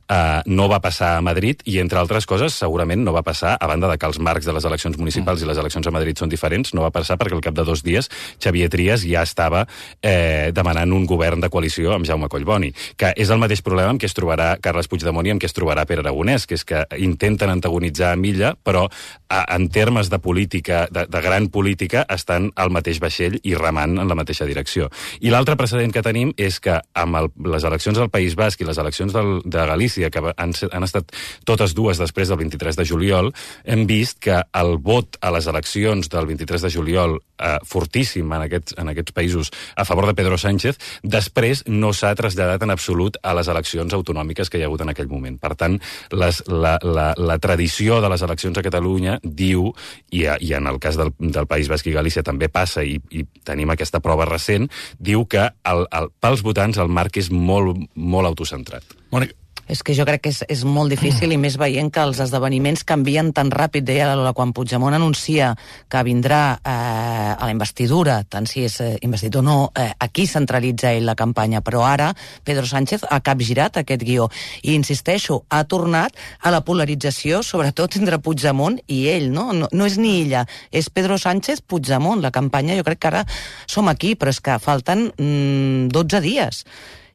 uh, no va passar a Madrid i, entre altres coses, segurament no va passar, a banda de que els marcs de les eleccions municipals mm. i les eleccions a Madrid són diferents, no va passar perquè al cap de dos dies Xavier Trias ja estava eh, demanant un govern de coalició amb Jaume Collboni, que és el mateix problema amb què es trobarà Carles Puigdemont i amb què es trobarà Pere Aragonès, que és que intenten antagonitzar a Milla, però a, en termes de política, de, de gran política, estan al mateix vaixell i remant en la mateixa direcció. I l'altre precedent que tenim és que amb el, les eleccions del País Basc i les eleccions del, de Galícia, que han, han estat totes dues després del vint-i-tres de juliol, hem vist que el vot a les eleccions del vint-i-tres de juliol, eh, fortíssim en aquests, en aquests països a favor de Pedro Sánchez, després no s'ha traslladat en absolut a les eleccions autonòmiques que hi ha hagut en aquell moment. Per tant, les, la, la, la tradició de les eleccions a Catalunya diu, i, i en el cas del, del País Basc i Galícia també passa, i i tenim aquesta prova recent, diu que el, el, pels votants el marc és molt, molt autocentrat. Mònica. És que jo crec que és, és molt difícil, i més veient que els esdeveniments canvien tan ràpid, deia la Lola, quan Puigdemont anuncia que vindrà eh, a la investidura, tant si és eh, investit o no, eh, aquí centralitza ell la campanya, però ara Pedro Sánchez ha capgirat aquest guió, i insisteixo, ha tornat a la polarització, sobretot entre Puigdemont i ell, no? No, no és ni ella, és Pedro Sánchez, Puigdemont, la campanya, jo crec que ara som aquí, però és que falten mm, dotze dies.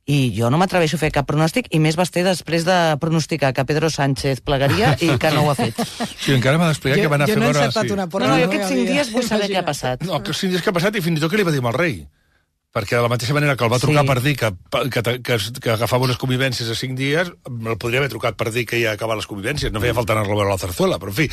i jo no m'atreveixo a fer cap pronòstic, i més basté després de pronosticar que Pedro Sánchez plegaria i que no ho ha fet. Sí, encara m'ha d'explicar que van a fer... Jo no he veure... encertat sí. una porta. No, no, jo aquests cinc dies vull saber què ha passat. No, aquests cinc dies que ha passat i fins i tot que li va dir al rei. Perquè de la mateixa manera que el va trucar Sí. per dir que, que, que, que agafava unes convivències a cinc dies, el podria haver trucat per dir que ja acaba les convivències, no feia falta anar-lo a veure a la Zarzuela, però en fi,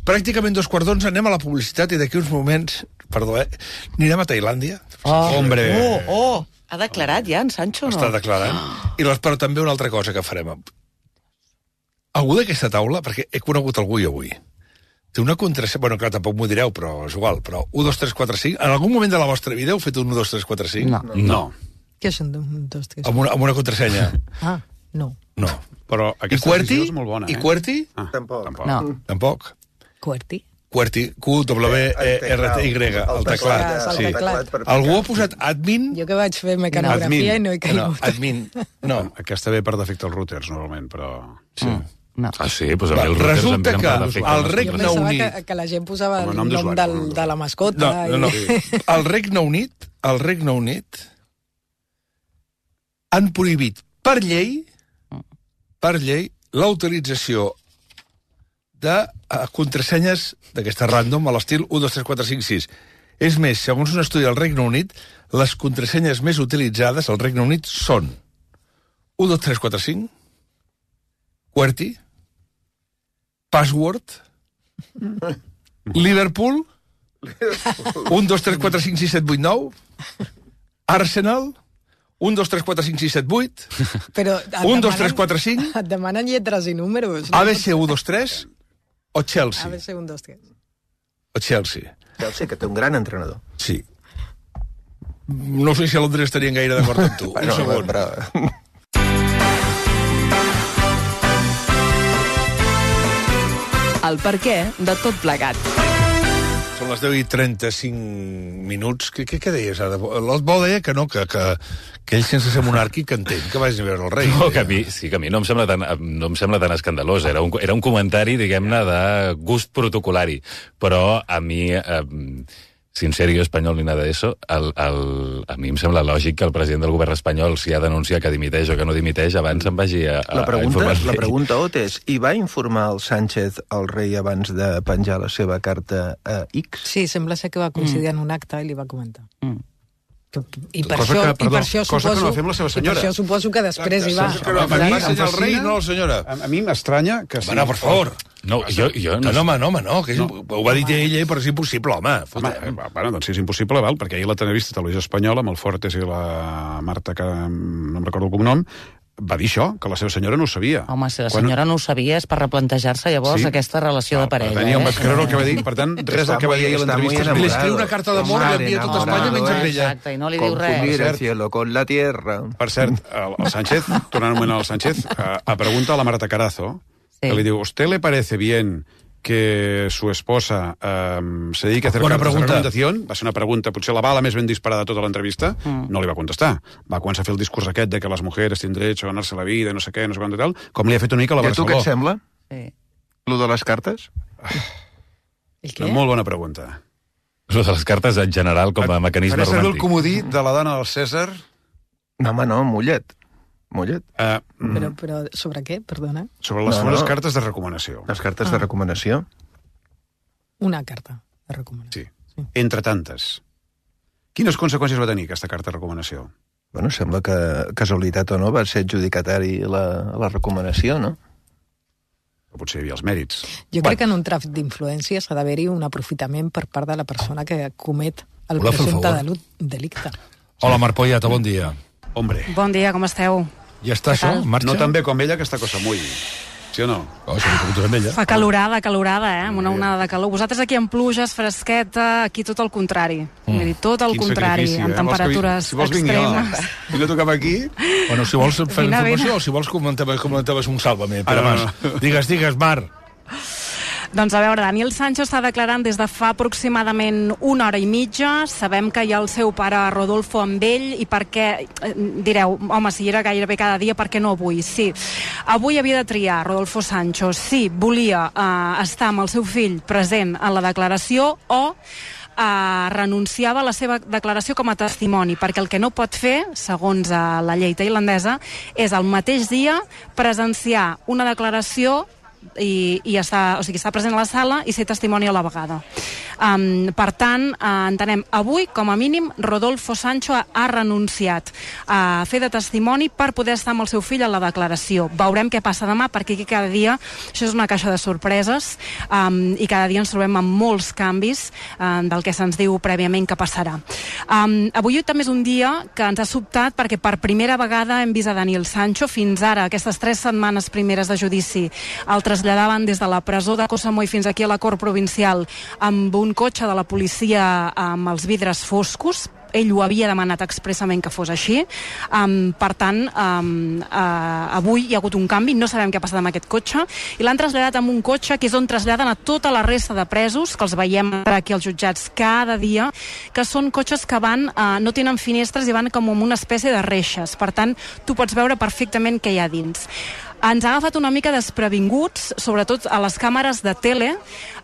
pràcticament dos quarts d'onze, anem a la publicitat i d'aquí uns moments, perdó, eh, anirem a Tailàndia. Oh, Hombre. Oh, oh, ha declarat ja en Sancho, no? Està declarant. I les, però també una altra cosa que farem. Algú d'aquesta taula, perquè he conegut algú i avui, té una contrasenya... Bueno, clar, tampoc m'ho direu, però és igual. Però un, dos, tres, quatre, cinc... En algun moment de la vostra vida heu fet un un, dos, tres, quatre, cinc? No. No. Què són un, dos, tres? Amb una, amb una contrasenya? Ah, no. No. Però I aquesta QWERTY? decisió és molt bona, eh? I QWERTY? Ah, Tampoc. tampoc. No. Tampoc. QWERTY? QWERTY, Q W E R T Y, el teclat. El Sí. teclat. per Algú ha ficar. posat admin? Jo que vaig fer mecanografia i no he No, caigut. admin. No. Aquesta ve per defecte als routers, normalment, però... Sí. No. Ah, sí? Doncs a mi Va, els routers resulta em que venen per defecte. el Jo Regne pensava Unit... que, que la gent posava Com a el nom nom d'usuari, del, nom de la mascota. No, no, no. I... El Regne Unit, el Regne Unit han prohibit per llei per llei la utilització de uh, contrasenyes d'aquesta random a l'estil un, dos, tres, quatre, cinc, sis. És més, segons un estudi del Regne Unit, les contrasenyes més utilitzades al Regne Unit són un, dos, tres, quatre, cinc, QWERTY, Password, Liverpool, un, dos, tres, quatre, cinc, sis, set, vuit, nou, Arsenal, un, dos, tres, quatre, cinc, sis, set, vuit, Però et un, dos, demanen- tres, quatre, cinc, Et demanen lletres i números. A B C un, dos, tres, o Chelsea. A B C un, dos, tres. O Chelsea. Chelsea, que té un gran entrenador. Sí. No sé si a Londres estarien gaire d'acord amb tu. Un Bueno, segon. però... El perquè de tot plegat. Són les deu i trenta-cinc minuts. Què, què, què deies ara? L'Osbo deia que no, que, que, que ell sense ser monàrquic que entén que vagis a veure el rei. No, que a mi, sí, que a mi no em sembla tan, no em sembla tan escandalós. Era un, era un comentari, diguem-ne, de gust protocolari. Però a mi, eh, sin serio espanyol ni nada d'això, el, el, a mi em sembla lògic que el president del govern espanyol, si ha d'anunciar que dimiteix o que no dimiteix, abans se'n vagi a, a, La a pregunta, informar. la pregunta, Ot, és, i va informar el Sánchez al rei abans de penjar la seva carta a X? Sí, sembla ser que va coincidir mm. en un acte i li va comentar. Mm. I per, Cosa això, que, i per perdó, això cosa que suposo, no va fer amb la seva i per senyora. això suposo que després hi va. Que no, A mi va em ensenyar el rei, fascina- no la senyora. A, a mi m'estranya que... Va, no, per favor. No, jo, jo No, no... no, home, no, home, no, que és, No. ho va dir ella, però és impossible, home. Home, Fota. eh, bueno, doncs sí, és impossible, val? Perquè ahir la televisió televisió espanyola, amb el Fortes i la Marta, que no em recordo el cognom, va dir això, que la seva senyora no ho sabia. Home, si la Quan- senyora no ho sabia és per replantejar-se llavors Sí. aquesta relació de parella. Tenia un eh? vaig creure el que va dir, per tant, res del que va dir ahir a Està muy l'entrevista. enamorado. Li escriu una carta d'amor, Está l'envia a tota Espanya, menys a enamorado, ella. Exacte, i no li diu res. Confundir el cert. cielo con la tierra. Per cert, el, el Sánchez, tornant un moment al Sánchez, a, a pregunta a la Marta Carazo, Sí. que li diu, ¿usted le parece bien que su esposa um, se dedique a hacer Buena cartas pregunta. de recomendación? Va ser una pregunta, potser la bala més ben disparada de tota l'entrevista, Mm. no li va contestar. Va començar a fer el discurs aquest de que les mujeres tienen derecho a ganarse la vida, no sé què, no sé quant i tal, com li ha fet una mica a la I a tu què et Barceló. sembla, Sí. lo de les cartes? El què? Una molt bona pregunta. Lo de les cartes en general com a mecanisme Faré servir el romàntic. comodí de la dona del Cèsar. No, home, no, mullet. Mullet. Uh, Però, però sobre què, perdona? sobre les No, segones no. cartes de recomanació. Les cartes Ah. de recomanació. Una carta de recomanació. Sí. Entre tantes. Quines conseqüències va tenir aquesta carta de recomanació? Bueno, sembla que, casualitat o no, va ser adjudicatari la, la recomanació, no? Potser hi havia els mèrits. Jo crec que en un tràfic d'influències ha d'haver-hi un aprofitament per part de la persona que comet el Voleu fer el presumpte favor? delu- delicte. Hola, Marc Pollata, bon dia. Hombre, Bon dia, com esteu? Ja està això? En marxa? no tan bé com ella aquesta cosa muy. Sí o no? Oh, si m'ho preguntes amb ella. Fa calorada, calorada, eh? Amb una onada de calor. Vosaltres aquí en pluges, fresqueta, aquí tot el contrari. Mm. Vull dir, tot el Quin contrari, sacrifici, amb eh? Vols que vi- temperatures si vols vinc jo. extremes. Vine tu cap aquí. Bueno, si vols fer Vine, informació vine. o si vols comentaves, comentaves un sàlvame. Ara Pere no, Mas. no. Digues, digues, Marc. Doncs a veure, Daniel Sancho està declarant des de fa aproximadament una hora i mitja. Sabem que hi ha el seu pare Rodolfo amb ell i per què, eh, direu, home, si era gairebé cada dia, per què no avui? Sí, avui havia de triar Rodolfo Sancho si volia eh, estar amb el seu fill present en la declaració o eh, renunciava a la seva declaració com a testimoni, perquè el que no pot fer, segons eh, la llei tailandesa, és el mateix dia presenciar una declaració i, i estar, o sigui, estar present a la sala i ser testimoni a la vegada. Um, per tant, uh, entenem, avui, com a mínim, Rodolfo Sancho ha, ha renunciat a fer de testimoni per poder estar amb el seu fill a la declaració. Veurem què passa demà, perquè aquí cada dia, això és una caixa de sorpreses, um, i cada dia ens trobem amb molts canvis um, del que se'ns diu prèviament que passarà. Um, avui també és un dia que ens ha sobtat perquè per primera vegada hem vist a Daniel Sancho. Fins ara, aquestes tres setmanes primeres de judici, el traslladaven des de la presó de Koh Samui fins aquí a la Cort Provincial amb un cotxe de la policia amb els vidres foscos. Ell ho havia demanat expressament que fos així. Um, per tant, um, uh, avui hi ha hagut un canvi, no sabem què ha passat amb aquest cotxe, i l'han traslladat amb un cotxe que és on traslladen a tota la resta de presos, que els veiem aquí als jutjats cada dia, que són cotxes que van, uh, no tenen finestres i van com amb una espècie de reixes. Per tant, tu pots veure perfectament què hi ha dins. Ens ha agafat una mica desprevinguts, sobretot a les càmeres de tele,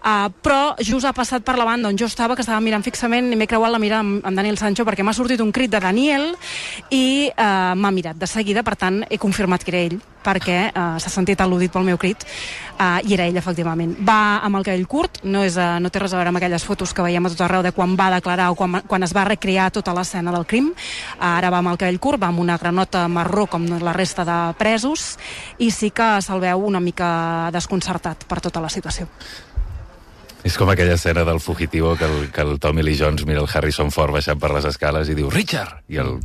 uh, però just ha passat per la banda on jo estava, que estava mirant fixament, i m'he creuat la mirada amb, amb Daniel Sancho perquè m'ha sortit un crit de Daniel i uh, m'ha mirat de seguida, per tant he confirmat que era ell, perquè uh, s'ha sentit al·ludit pel meu crit, uh, i era ell, efectivament. Va amb el cabell curt, no, és, uh, no té res a veure amb aquelles fotos que veiem a tot arreu de quan va declarar o quan, quan es va recrear tota l'escena del crim. Uh, ara va amb el cabell curt, va amb una granota marró com la resta de presos, i sí que se'l veu una mica desconcertat per tota la situació. És com aquella escena del fugitivo que el, que el Tommy Lee Jones mira el Harrison Ford baixant per les escales i diu Richard! I el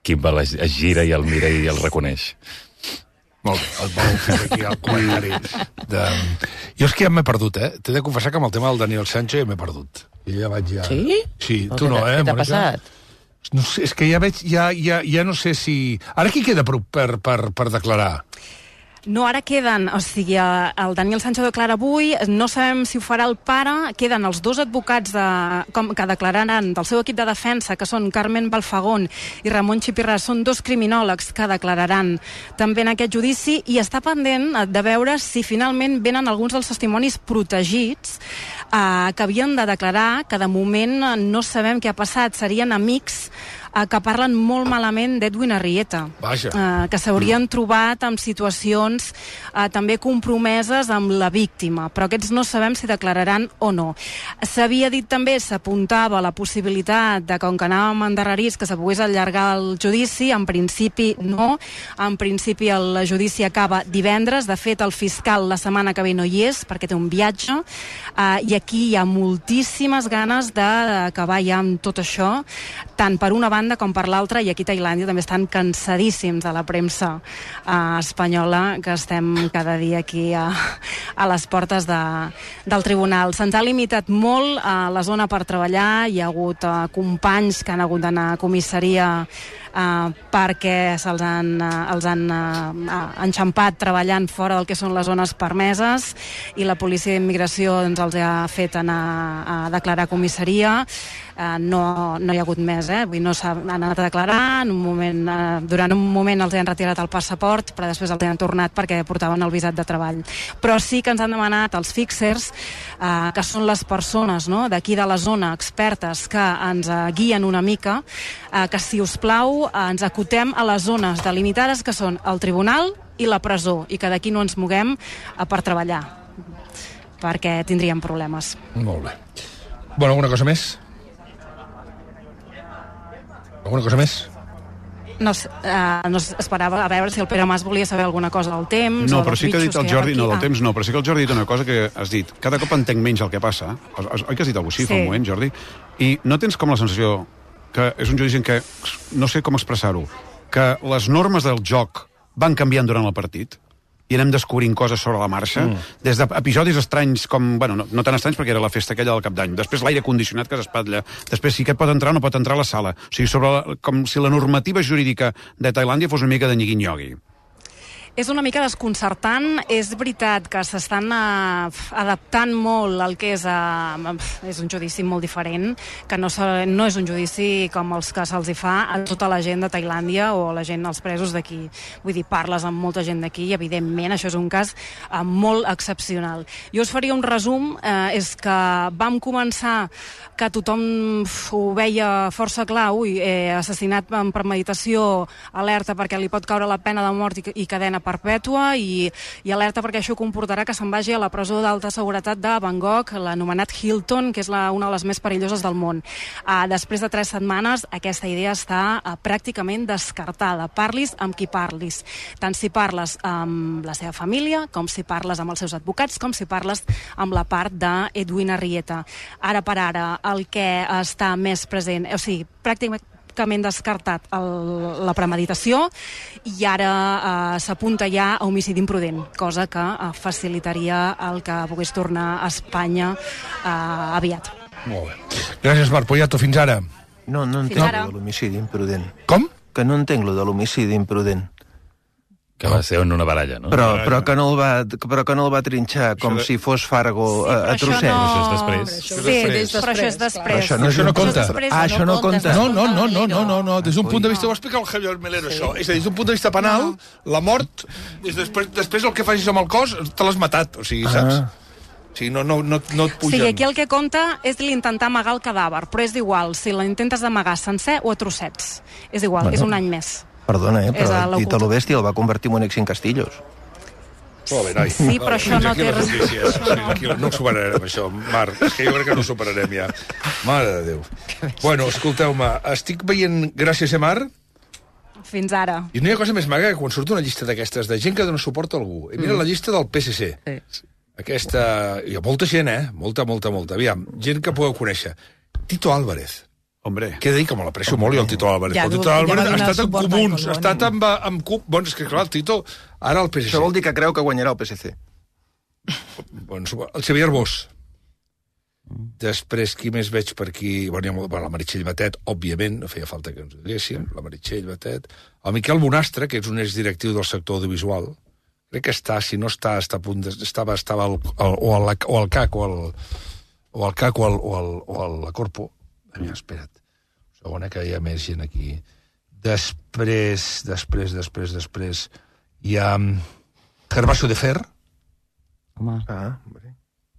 Kimball es, es gira i el mira i el reconeix. Molt bé, et vol fer aquí el comentari. De... Jo és que ja m'he perdut, eh? T'he de confessar que amb el tema del Daniel Sancho ja m'he perdut. I ja vaig ja... Sí? Sí, tu no, eh, Què t'ha Mònica? passat? No sé, és que ja veig, ja, ja, ja no sé si... Ara qui queda per, per, per, per declarar? No, ara queden, o sigui, el Daniel Sancho declara avui, no sabem si ho farà el pare, queden els dos advocats de, com, que declararan del seu equip de defensa, que són Carmen Balfagón i Ramon Chipirras, són dos criminòlegs que declararan també en aquest judici, i està pendent de veure si finalment venen alguns dels testimonis protegits eh, que havien de declarar, que de moment no sabem què ha passat, serien amics eh, que parlen molt malament d'Edwin Arrieta, eh, que s'haurien trobat en situacions eh, també compromeses amb la víctima, però aquests no sabem si declararan o no. S'havia dit també, s'apuntava la possibilitat de, com que anàvem endarrerits, que se pogués allargar el judici. En principi no, en principi el judici acaba divendres. De fet, el fiscal la setmana que ve no hi és perquè té un viatge, eh, i aquí hi ha moltíssimes ganes d'acabar ja amb tot això, tant per una banda com per l'altra, i aquí a Tailàndia també estan cansadíssims de la premsa eh, espanyola, que estem cada dia aquí a, a les portes de, del tribunal. Se'ns ha limitat molt a la zona per treballar, hi ha hagut eh, companys que han hagut d'anar a comissaria Uh, perquè se'ls han, uh, els han uh, enxampat treballant fora del que són les zones permeses, i la policia d'immigració doncs, els ha fet anar a declarar a comissaria. Uh, no, no hi ha hagut més, eh? Vull dir, no s'han anat a declarar, en un moment, uh, durant un moment els han retirat el passaport, però després els han tornat perquè portaven el visat de treball. Però sí que ens han demanat els fixers, uh, que són les persones, no?, d'aquí de la zona, expertes, que ens uh, guien una mica, uh, que si us plau uh, ens acotem a les zones delimitades que són el tribunal i la presó, i que d'aquí no ens moguem uh, per treballar, perquè tindríem problemes. Molt bé. Bueno, alguna cosa més? Alguna cosa més? No, uh, no esperava a veure si el Pere Mas volia saber alguna cosa del temps. No, o però sí que ha dit el Jordi, no, del ah. temps no, però sí que el Jordi ha dit una cosa que has dit. Cada cop entenc menys el que passa. Oi que has dit alguna cosa així sí. fa un moment, Jordi? I no tens com la sensació que és un judici en què, no sé com expressar-ho, que les normes del joc van canviant durant el partit i anem descobrint coses sobre la marxa, mm. des d'episodis estranys com, bueno, no, no tan estranys perquè era la festa aquella del Cap d'Any, després l'aire condicionat que s'espatlla, després si aquest pot entrar o no pot entrar a la sala, o sigui, sobre la, com si la normativa jurídica de Tailàndia fos una mica de nyigui-nyogui. És una mica desconcertant. És veritat que s'estan uh, adaptant molt al que és, uh, és un judici molt diferent, que no, no és un judici com els que se'ls hi fa a tota la gent de Tailàndia o la gent, els presos d'aquí. Vull dir, parles amb molta gent d'aquí i, evidentment, això és un cas uh, molt excepcional. Jo us faria un resum, uh, és que vam començar que tothom ho veia força clar, ui, eh, assassinat amb premeditació, alerta perquè li pot caure la pena de mort i, i cadena perpètua, i, i alerta perquè això comportarà que se'n vagi a la presó d'alta seguretat de Bangkok, l'anomenat Hilton, que és la, una de les més perilloses del món. Uh, després de tres setmanes, aquesta idea està uh, pràcticament descartada. Parlis amb qui parlis. Tant si parles amb la seva família, com si parles amb els seus advocats, com si parles amb la part d'Edwin Arrieta. Ara per ara, el que està més present, o sigui, pràcticament descartat el, la premeditació, i ara eh, s'apunta ja a homicidi imprudent, cosa que eh, facilitaria el que pogués tornar a Espanya eh, aviat. Molt bé. Gràcies, Marc Poyato. Fins ara. No, no entenc lo de l'homicidi imprudent. Com? Que no entenc lo de l'homicidi imprudent. Que va ser en una baralla, no? Però, però, que, no el va, però que no el va trinxar com de... si fos Fargo sí, a, a trossets. No... Això és després. Sí, després. Però això és després. Això no, això no compta. Ah, això no compta. No, no, no, no, no, no, no. Des d'un punt de vista, ho explica el Javier Melero, sí. Això. És a dir, des d'un punt de vista penal, la mort, després, després el que facis amb el cos, te l'has matat, o sigui, saps? Ah. O sigui, no, no, no, no et pugen. Sí, aquí el que compta és l'intentar amagar el cadàver, però és igual si l'intentes d'amagar sencer o a trossets. És igual, bueno. És un any més. Perdona, eh, però Tito lo Bestia el va convertir en un Exin Castillos. Molt bé, noi. Sí, però això no té res. Tranquil, no ho superarem, això, Marc. És que jo crec que no ho superarem ja. Mare de Déu. Bueno, escolteu-me, estic veient Gràcies, eh, Marc? Fins ara. I no hi ha cosa més maga que quan surt una llista d'aquestes de gent que dona suport a algú. I mira mm. la llista del P S C. Sí. Aquesta... Hi ha molta gent, eh? Molta, molta, molta. Aviam, gent que podeu conèixer. Tito Álvarez. Hombre. Què dir, que me l'aprecio molt, i el Tito Álvarez. Ja, el Tito Álvarez ja ha estat en comuns, ha estat amb, amb CUP... Bueno, és que clar, el Tito, ara el P S C. Això vol dir que creu que guanyarà el P S C. Bueno, el Xavier Bosch. Després, qui més veig per aquí? Bueno, hi ha molt... bueno, la Meritxell Batet, òbviament, no feia falta que ens ho diguéssim, la Meritxell Batet. El Miquel Bonastre, que és un exdirectiu del sector audiovisual, crec que està, si no està, està a punt de... Estava, estava al, al, o, al, o al C A C, o al, o al C A C, o al, o al, o al la Corpo. Mira, espera't. Segona, que hi ha més gent aquí. Després, després, després, després, hi ha Gervasio de Fer. Home. Ah,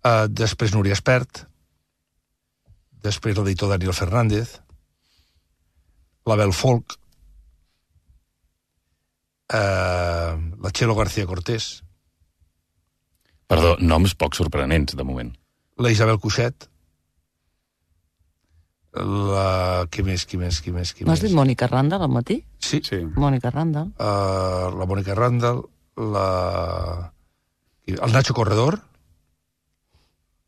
uh, després Núria Espert. Després l'editor Daniel Fernández. L'Abel Folk. Uh, la Txelo García Cortés. Perdó, noms poc sorprenents, de moment. La Isabel Cuixet. La... Qui més, qui més, qui més, qui no has més? dit Mònica Randall al matí? Sí. sí. Mònica Randall. Uh, la Mònica Randall, la... el Nacho Corredor,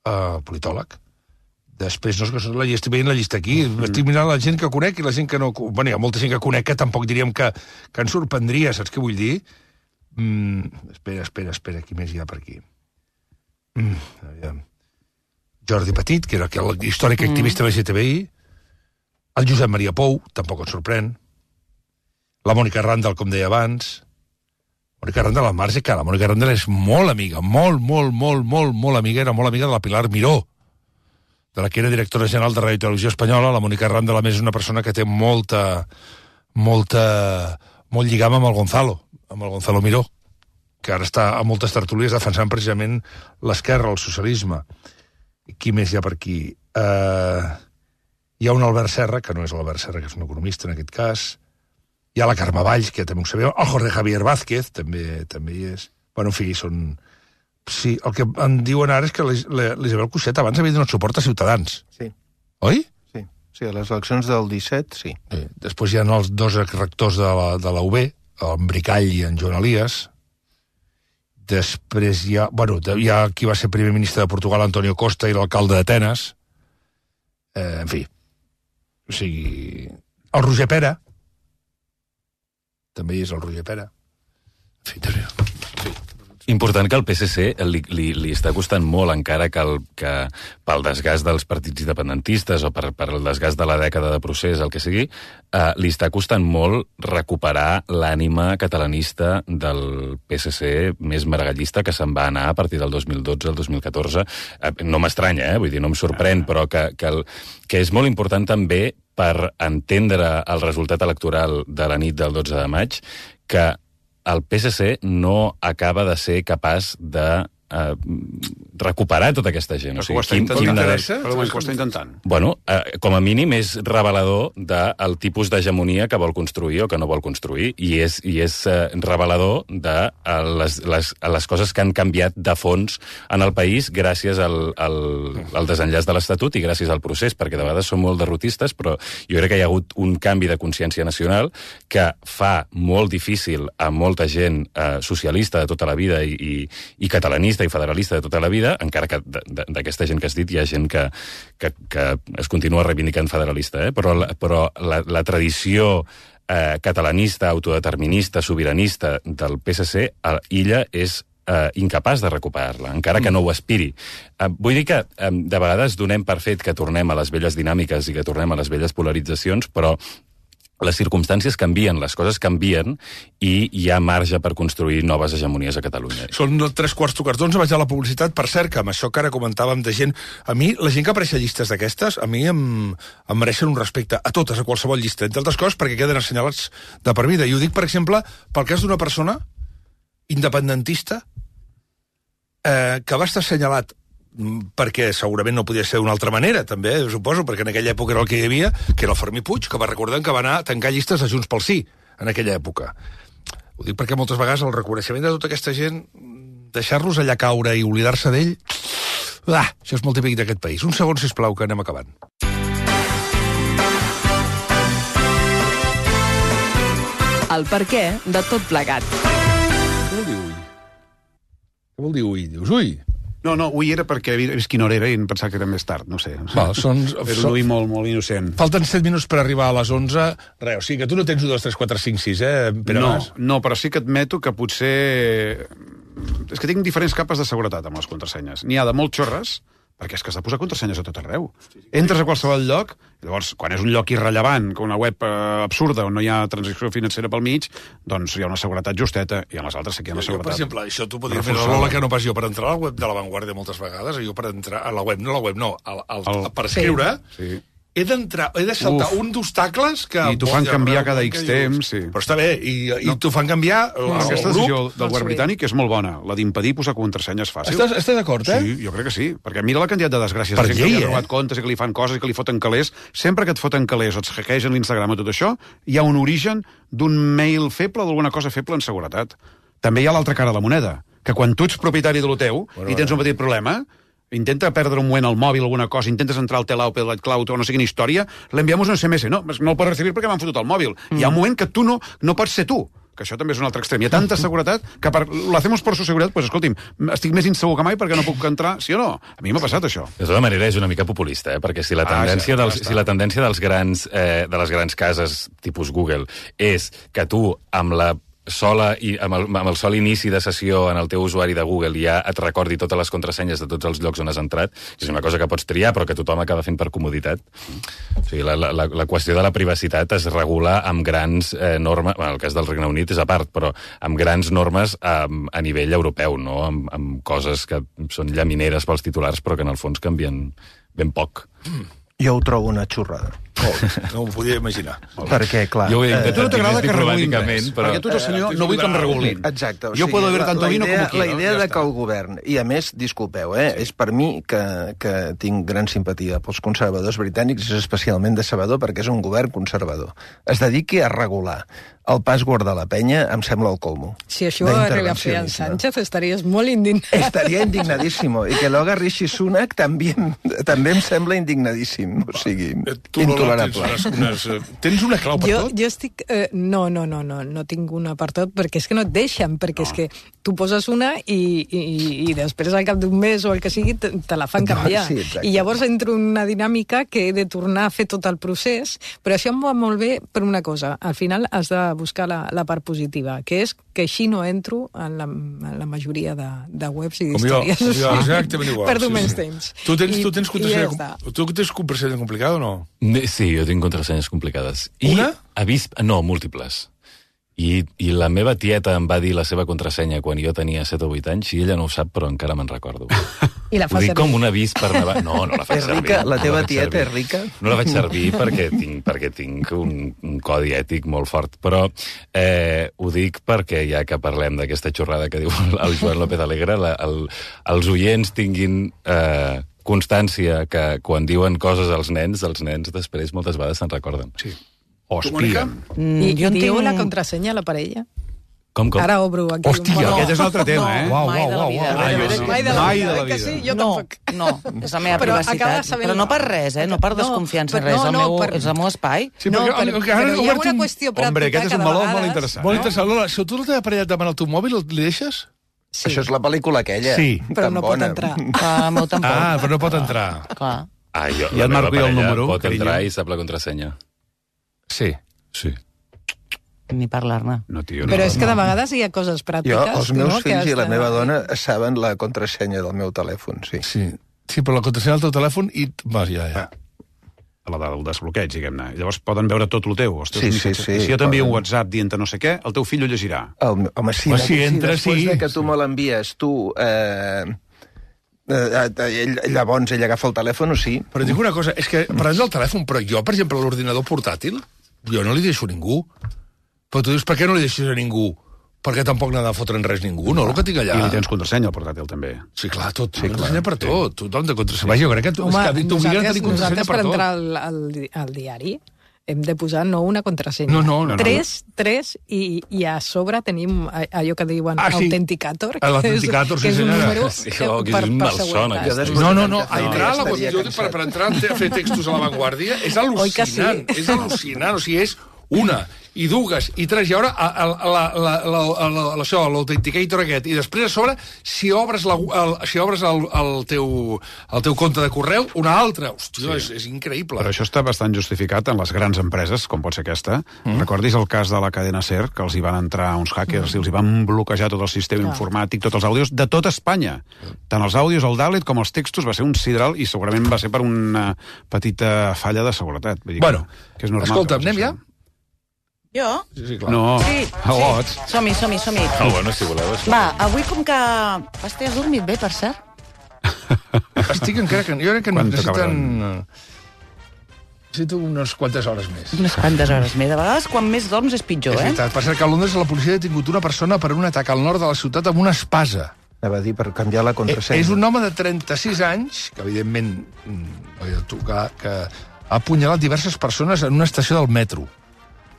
uh, politòleg. Després, no és que la, estic veient la llista aquí, mm. estic mirant la gent que conec i la gent que no... Bueno, hi ha molta gent que conec que tampoc diríem que, que ens sorprendria, saps què vull dir? Mm, espera, espera, espera, qui més hi ha per aquí? Mm, aviam. Jordi Petit, que era aquell històric activista mm. L G T B I, el Josep Maria Pou, tampoc et sorprèn, la Mònica Randall, com deia abans, Mònica Randall al marge, que la Mònica Randall és molt amiga, molt, molt, molt, molt, molt amiga, era molt amiga de la Pilar Miró, de la que era directora general de Ràdio i Televisió Espanyola. La Mònica Randall, a més, és una persona que té molta, molta, molt lligam amb el Gonzalo, amb el Gonzalo Miró, que ara està a moltes tertúlies defensant precisament l'esquerra, el socialisme. Qui més hi ha per aquí? Uh, hi ha un Albert Serra, que no és l'Albert Serra, que és un economista en aquest cas. Hi ha la Carme Valls, que també ho sabeu. El Jorge Javier Vázquez, també també hi és. Bueno, en fi, són... Sí, el que em diuen ara és que l'Isabel Cuixet abans havia donat suport a Ciutadans. Sí. Oi? Sí, sí, a les eleccions del disset, sí. sí. Després hi ha els dos rectors de la, de la U B, en Bricall i en Joan Elias. Després hi ha... Bueno, hi ha qui va ser primer ministre de Portugal, Antonio Costa, i l'alcalde d'Atenes. Eh, en fi. O sigui... El Roger Pera. També hi és el Roger Pera. En fi, també... Sí. Important que el P S C li, li, li està costant molt, encara que, el, que pel desgast dels partits independentistes o per, per el desgast de la dècada de procés, el que sigui, eh, li està costant molt recuperar l'ànima catalanista del P S C més maragallista que se'n va anar a partir del dos mil dotze al dos mil catorze. Eh, no m'estranya, eh? Vull dir, no em sorprèn, però que, que, el, que és molt important també per entendre el resultat electoral de la nit del dotze de maig, que el P S C no acaba de ser capaç de eh, recuperar tota aquesta gent. Però o sigui, ho està quin, intentant. quin Però ho està intentant. Bueno, eh, com a mínim és revelador del tipus d'hegemonia que vol construir o que no vol construir, i és, i és eh, revelador de eh, les, les, les coses que han canviat de fons en el país gràcies al, al, al desenllaç de l'Estatut i gràcies al procés, perquè de vegades són molt derrotistes, però jo crec que hi ha hagut un canvi de consciència nacional que fa molt difícil a molta gent eh, socialista de tota la vida i, i, i catalanista i federalista de tota la vida, encara que d'aquesta gent que has dit hi ha gent que, que, que es continua reivindicant federalista, eh? però, la, però la, la tradició eh, catalanista, autodeterminista, sobiranista del P S C, a Illa és eh, incapaç de recuperar-la, encara que no ho aspiri. Eh, vull dir que eh, de vegades donem per fet que tornem a les velles dinàmiques i que tornem a les velles polaritzacions, però les circumstàncies canvien, les coses canvien i hi ha marge per construir noves hegemonies a Catalunya. Són tres quarts tocartons, vaig a la publicitat. Per cert, que amb això que ara comentàvem de gent... A mi, la gent que apareix a llistes d'aquestes, a mi em, em mereixen un respecte a totes, a qualsevol llista, entre altres coses perquè queden assenyalats de per vida. I ho dic, per exemple, pel cas d'una persona independentista eh, que va estar assenyalat perquè segurament no podia ser d'una altra manera, també, suposo, perquè en aquella època era el que hi havia, que era el Fermí Puig, que va recordar que va anar a tancar llistes de Junts pel Sí, en aquella època. Ho dic perquè moltes vegades el reconeixement de tota aquesta gent, deixar-los allà caure i oblidar-se d'ell, ah, això és molt típic d'aquest país. Un segon, sisplau, que anem acabant. El perquè de tot plegat. Què vol dir ui? Què vol dir ui? Dius ui? No, no, ui era perquè he vist quina hora era i em pensava que era més tard, no sé. Val, són, era un ui molt, molt innocent. Falten set minuts per arribar a les onze. Res, o sigui que tu no tens un, dos, tres, quatre, cinc, sis, eh, Pere No, Mas? no, però sí que admeto que potser... És que tinc diferents capes de seguretat amb les contrasenyes. N'hi ha de molt xorres, perquè és que has de posar contrasenyes a tot arreu. Entres a qualsevol lloc, i llavors, quan és un lloc irrellevant, com una web eh, absurda, on no hi ha transacció financera pel mig, doncs hi ha una seguretat justeta, i en les altres sí que hi ha una seguretat. Jo, per exemple, això tu podries fer la Lola que no pas jo, per entrar a la web de La Vanguardia moltes vegades, jo per entrar a la web, no a la web, no, al, al, el... per escriure, sí. He d'entrar, he de saltar Uf. un d'obstacles que... I t'ho fan canviar cada X temps, sí. Però està bé, i, i no. t'ho fan canviar el, no, el Aquesta grup. decisió del govern britànic és molt bona, la d'impedir posar contrasenyes fàcils. Estàs, estàs d'acord, eh? Sí, jo crec que sí, perquè mira la quantitat de desgràcies. Per llei, llei, que li eh? han robat comptes i que li fan coses i que li foten calés. Sempre que et foten calés o et hackegen l'Instagram o tot això, hi ha un origen d'un mail feble o d'alguna cosa feble en seguretat. També hi ha l'altra cara de la moneda, que quan tu ets propietari de lo teu bueno, i tens un petit problema, intenta perdre un moment al mòbil alguna cosa, intentes entrar al Telau, pel Cloud o no sé quina història, l'enviamos un S M S. No, no el pots recibir perquè m'han fotut al mòbil. Mm. Hi ha un moment que tu no, no pots ser tu, que això també és un altre extrem. Hi ha tanta seguretat que per, lo hacemos por su seguretat, pues escolti'm, estic més insegur que mai perquè no puc entrar, sí o no? A mi m'ha passat això. De tota manera és una mica populista, eh? Perquè si la tendència, ah, ja, dels, ja si la tendència dels grans, eh, de les grans cases tipus Google és que tu amb la sola i amb el, amb el sol inici de sessió en el teu usuari de Google ja et recordi totes les contrasenyes de tots els llocs on has entrat, que és una cosa que pots triar però que tothom acaba fent per comoditat. O sigui, la, la, la qüestió de la privacitat es regula amb grans eh, normes, en el cas del Regne Unit és a part, però amb grans normes a, a nivell europeu, no? Amb, amb coses que són llamineres pels titulars però que en el fons canvien ben poc. Mm. Jo ho trobo una xorrada. Oh, no m'ho podia imaginar. Perquè, clar... Jo ho he eh, tu no t'agrada que regulin res, però... perquè tu, senyor, no vull que em regulin. Exacte. O jo sigui, puedo ver tanto la, vino idea, como quiero. La idea ja de està. que el govern, i a més, disculpeu, eh, sí. és per mi que, que tinc gran simpatia pels conservadors britànics, és especialment decebedor perquè és un govern conservador. Es dediqui a regular el password de la penya, em sembla el colmo. Si això arriba a fer en Sánchez, estaries molt indignat. Estaria indignadíssimo. I que lo haga Rishi Sunak també, també em sembla indignadíssim. O sigui, tu no tolerable. Tens, unes, unes, tens una clau per jo, tot? Jo estic... Eh, no, no, no, no, no tinc una per tot, perquè és que no et deixen, perquè no. és que tu poses una i, i, i després al cap d'un mes o el que sigui te, te la fan canviar. Sí, I llavors entro en una dinàmica que he de tornar a fer tot el procés, però això em va molt bé per una cosa. Al final has de buscar la, la part positiva, que és que així no entro en la, en la majoria de, de webs i d'històries. Com jo, exactament igual. Perdo sí, menys sí. temps. Tu tens, I, tu tens contrasenya, tu tens contrasenya complicada o no? Sí, jo tinc contrasenyes complicades. I Una? Avís, no, múltiples. I, I la meva tieta em va dir la seva contrasenya quan jo tenia set o vuit anys i ella no ho sap, però encara me'n recordo. I la fa Ho dic servir. com un avís per Navarra. No, no la faig És servir. rica? La no teva faig tieta servir. és rica? No la vaig servir perquè tinc, perquè tinc un, un codi ètic molt fort. Però eh, ho dic perquè, ja que parlem d'aquesta xorrada que diu el Joan López Alegre, la, el, els oients tinguin... Eh, constància que quan diuen coses als nens, els nens després moltes vegades se'n recorden. Sí. O espien. Mm, I jo en diu tinc- la contrasenya a la parella? Com, com? Ara obro aquí Hòstia, un meló. Aquest és un altre tema, eh? No, Uau, mai uau, de la uau, vida. uau. Ah, jo sí. Mai de la Mai vida, de la eh que vida. sí? Jo no, tampoc. no, és la meva Però acaba privacitat. sabent- Però no per res, eh? No per No, desconfiança, però res. no, el no, meu, per- és el meu espai. Sí, No, perquè, però, perquè ara però he hi ha obert una un- qüestió pràctica Hombre, aquest és que un de meló vegades... molt interessant. Molt interessant. Lola, si tu la teva parella et demana el teu mòbil, el deixes? Sí. Això és la pel·lícula aquella. Sí. Però tan no pot bona. entrar. Clar, el meu tampoc. Ah, però no pot entrar. Clar. Ah, jo, I la et meva marco jo el parella número, pot carinyo. entrar i sap la contrasenya. Sí. Sí. Ni parlar-ne. No, tio, no. Però és que de vegades hi ha coses Jo, pràctiques. els meus no, que fills i la has de- meva dona saben la contrasenya del meu telèfon, sí. Sí. Sí, però la contrasenya del teu telèfon i... Va, ja, ja. la del desbloqueig, diguem-ne. Llavors poden veure tot el teu. Els teus Sí, missatges. sí, sí, I si jo t'envio un poden. WhatsApp dient no sé què, el teu fill ho llegirà. El, home, sí, Home, no, si entra, després sí. de que tu me l'envies, tu... Eh, eh, ell, llavors ell agafa el telèfon, o sí. Però et dic una cosa, és que parlant del telèfon, però jo, per exemple, l'ordinador portàtil, jo no li deixo a ningú. Però tu dius, per què no li deixes a ningú? Perquè tampoc n'ha de fotre en res ningú, no? El que tinc allà. I li tens contrasenya al portàtil, també. Sí, clar, tot. Sí, clar. Contrasenya per tot. Tothom de contrasenya. Jo crec que, tu, Home, és que t'obliguen a nosaltres, tenir contrasenya nosaltres per per tot. entrar al, al, di- al diari hem de posar no una contrasenya. No, no, no, no. Tres, tres, i, i a sobre tenim a- allò que diuen Ah, sí. Authenticator, Ah, l'Authenticator, sí, que és un senyora. número Sí, que, oh, que és per, un per malson, seguretat. aquest. No, no, no, Ja entrar a la estaria jo dic, per, per entrar a fer textos a l'avantguàrdia és Oi que sí? al·lucinant, és al·lucinant, o sigui, és una, i dues, i tres, i ara a, a, a, la, la, la, la, la, això, l'Authenticator aquest, i després a sobre, si obres, la, el, si obres el, el, teu, el teu compte de correu, una altra. Hòstia, sí. és, és increïble. Però això està bastant justificat en les grans empreses, com pot ser aquesta. Mm. Recordis el cas de la cadena SER, que els hi van entrar uns hackers mm. i els hi van bloquejar tot el sistema Clar. informàtic, tots els àudios, de tota Espanya. Tant els àudios, el Dalet, com els textos, va ser un sidral i segurament va ser per una petita falla de seguretat. Vull dir Bueno, que és normal. escolta, que passi anem ja? això. Jo? Sí, sí, clar. No, Sí, a lots. sí. Som-hi, som-hi, som-hi. Ah, bueno, si voleu. Sí. Va, avui com que... Hosti, has dormit bé, per cert? Estic encara que... Jo crec que Quan necessiten... eh, Necessito unes quantes hores més. Unes quantes hores més. De vegades, quan més dorms és pitjor, És eh? veritat. Per cert, que a Londres la policia ha detingut una persona per un atac al nord de la ciutat amb una espasa. Anava a dir per canviar la Eh, contrasenya. és un home de trenta-sis anys, que evidentment mm, no hi ha de tocar, que ha apunyalat diverses persones en una estació del metro.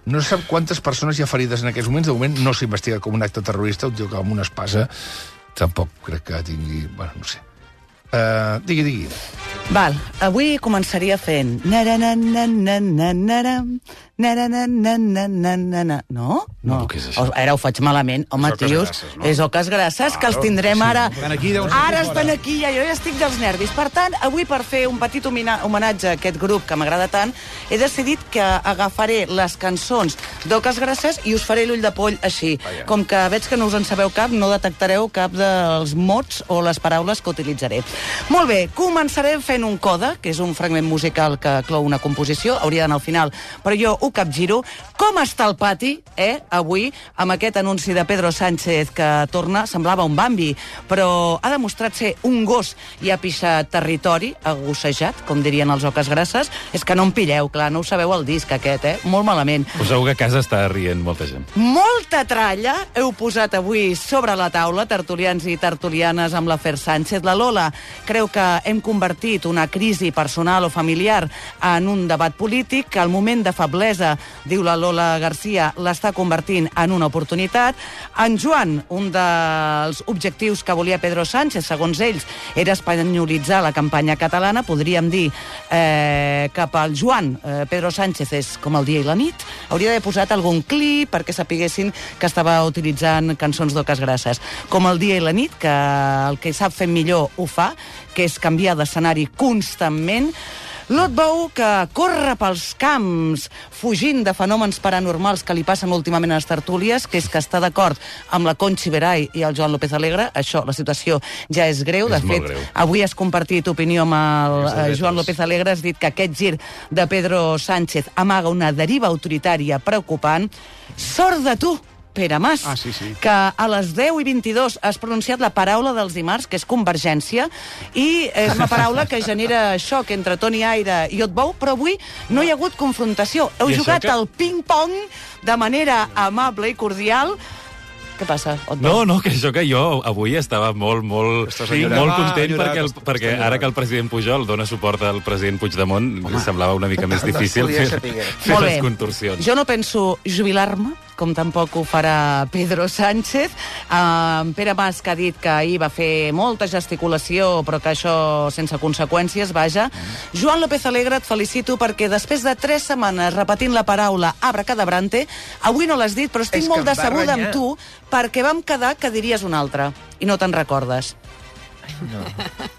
No se sap quantes persones hi ha ferides en aquests moments. De moment no s'investiga com un acte terrorista, un tio que amb una espasa tampoc crec que tingui... Bueno, no sé. Uh, digui, digui. Val, avui començaria fent... Na-ra-na-na-na-na-na-na, na-ra-na-na-na-na-na. No? No. No, què és això? O- Ara ho faig malament. Home, És Oques tios, Grasses, no? és Oques Grasses, que els tindrem ara... Estan aquí, deuen ser Ara fora. estan aquí, ja, jo ja estic dels nervis. Per tant, avui, per fer un petit homina- homenatge a aquest grup que m'agrada tant, he decidit que agafaré les cançons d'Oques Grasses i us faré l'ull de poll així. Com que veig que no us en sabeu cap, no detectareu cap dels mots o les paraules que utilitzaré. Molt bé, començaré fent un coda, que és un fragment musical que clou una composició, hauria d'anar al final, però jo ho capgiro. Com està el pati, eh, avui, amb aquest anunci de Pedro Sánchez que torna, semblava un Bambi, però ha demostrat ser un gos i ha pixat territori, agossejat, com dirien els Oques Grasses. És que no em pilleu, clar, no ho sabeu el disc aquest, eh? Molt malament. Us segur que a casa està rient molta gent. Molta tralla heu posat avui sobre la taula, tertulians i tertulianes, amb l'afer Sánchez. La Lola creu que hem convertit una crisi personal o familiar en un debat polític, que el moment de feblesa infantesa, diu la Lola Garcia, l'està convertint en una oportunitat. En Joan, un dels objectius que volia Pedro Sánchez, segons ells, era espanyolitzar la campanya catalana. Podríem dir eh, que pel Joan, eh, Pedro Sánchez és com el dia i la nit. Hauria d'haver posat algun clip perquè sapiguessin que estava utilitzant cançons d'Oques Grasses. Com el dia i la nit, que el que sap fer millor ho fa, que és canviar d'escenari constantment. Lot Bou, que corre pels camps fugint de fenòmens paranormals que li passen últimament a les tertúlies, que és que està d'acord amb la Conchi Veray i el Joan López Alegre. Això, la situació ja és greu. De és fet, greu. Avui has compartit opinió amb el eh, Joan López Alegre. Has dit que aquest gir de Pedro Sánchez amaga una deriva autoritària preocupant. Sort de tu, Pere Mas, ah, sí, sí. que a les deu i vint-i-dos has pronunciat la paraula dels dimarts, que és convergència, i és una paraula que genera xoc entre Toni Aire i Otbou, però avui no hi ha hagut confrontació. Heu jugat que... al ping-pong de manera amable i cordial. Què passa, Otbou? No, no, que això que jo avui estava molt, molt, sí, molt content enyorat, perquè, el, perquè ara que el president Pujol dona suport al president Puigdemont, Home. semblava una mica més difícil fer, fer les contorsions. Jo no penso jubilar-me, com tampoc ho farà Pedro Sánchez. Uh, Pere Mas, que ha dit que ahir va fer molta gesticulació, però que això sense conseqüències, vaja. Mm. Joan López Alegre, et felicito perquè després de tres setmanes repetint la paraula abracadabrante, avui no l'has dit, però estic és molt decebuda amb tu perquè vam quedar que diries una altra i no te'n recordes. No,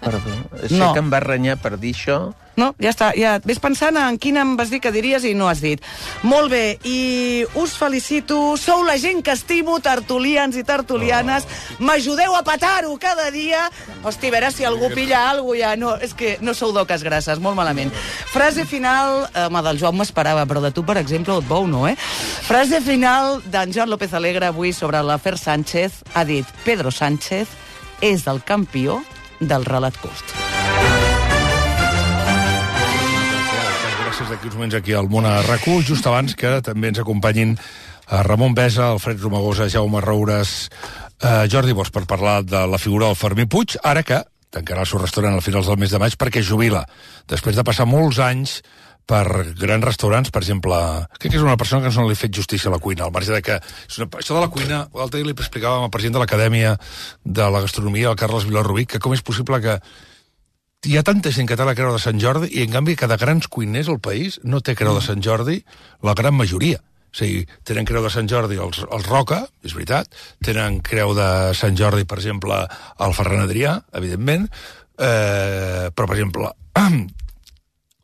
perdó. Sé no. que em va renyar per dir això. No, ja està. Ja ves pensant en quina em vas dir que diries i no has dit. Molt bé, i us felicito. Sou la gent que estimo, tertulians i tertulianes. Oh. M'ajudeu a petar-ho cada dia. Hosti, a veure si algú pilla alguna cosa ja. No, és que no sou d'Oques Grasses, molt malament. Frase final, home, del Joan m'esperava, però de tu, per exemple, et bou, no, eh? Frase final d'en Joan López Alegre avui sobre l'afer Sánchez. Ha dit, Pedro Sánchez és el campió del relat curt. Gràcies d'aquí uns moments aquí al Món a RAC u, just abans que també ens acompanyin a Ramon Besa, Alfred Romagosa, Jaume Roures, eh, Jordi Bosch, per parlar de la figura del Fermí Puig, ara que tancarà el seu restaurant a finals del mes de maig perquè jubila, després de passar molts anys per grans restaurants, per exemple, crec que és una persona que no li ha fet justícia a la cuina, al marge de que... Una, això de la cuina, l'altre dia li explicàvem al president de l'Acadèmia de la Gastronomia, el Carles Vilarrubí, que com és possible que hi ha tanta gent que té la creu de Sant Jordi i, en canvi, que de grans cuiners al país no té creu de Sant Jordi la gran majoria. O sigui, tenen creu de Sant Jordi els, els Roca, és veritat, tenen creu de Sant Jordi, per exemple, el Ferran Adrià, evidentment, eh, però, per exemple...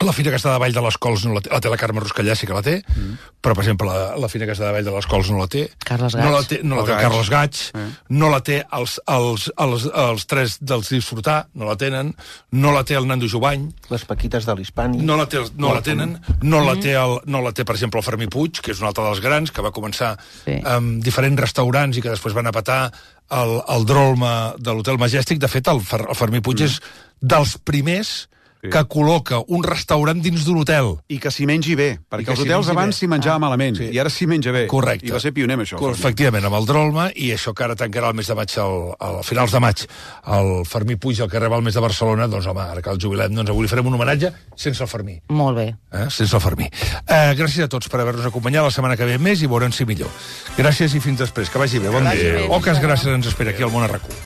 La Fira Castellà de Vall de les Cols no la té, la té la Carme Ruscallà, sí que la té, mm. però, per exemple, la, la Fira Castellà de Vall de les Cols no la té. Carles Gats. No la té, no la té el Carles Gats, eh. no la té els, els, els, els tres dels Disfrutar, no la tenen, no la té el Nando Jovany. Les Paquites de l'Hispani. No la, té, no la tenen, no la té, el, no la té, per exemple, el Fermí Puig, que és un altre dels grans, que va començar sí. amb diferents restaurants i que després van a petar el, el Drolma de l'Hotel Majestic. De fet, el, Fer, el Fermí Puig mm. és dels primers que col·loca un restaurant dins d'un hotel. I que s'hi mengi bé, perquè els hotels abans s'hi menjava ah, malament, sí. i ara s'hi menja bé. Correcte. I va ser pioner amb això. Efectivament, amb el Drolma, i això que ara tancarà el mes de maig, al, al finals de maig, el Fermí Puig, el que reba el mes de Barcelona, doncs home, ara que el jubilem, doncs avui li farem un homenatge sense el Fermí. Molt bé. Eh? Sense el Fermí. Eh, gràcies a tots per haver-nos acompanyat, la setmana que ve més i veurem si millor. Gràcies i fins després. Que vagi bé. Bon dia. Oques Grasses ens espera aquí al Món a RAC u.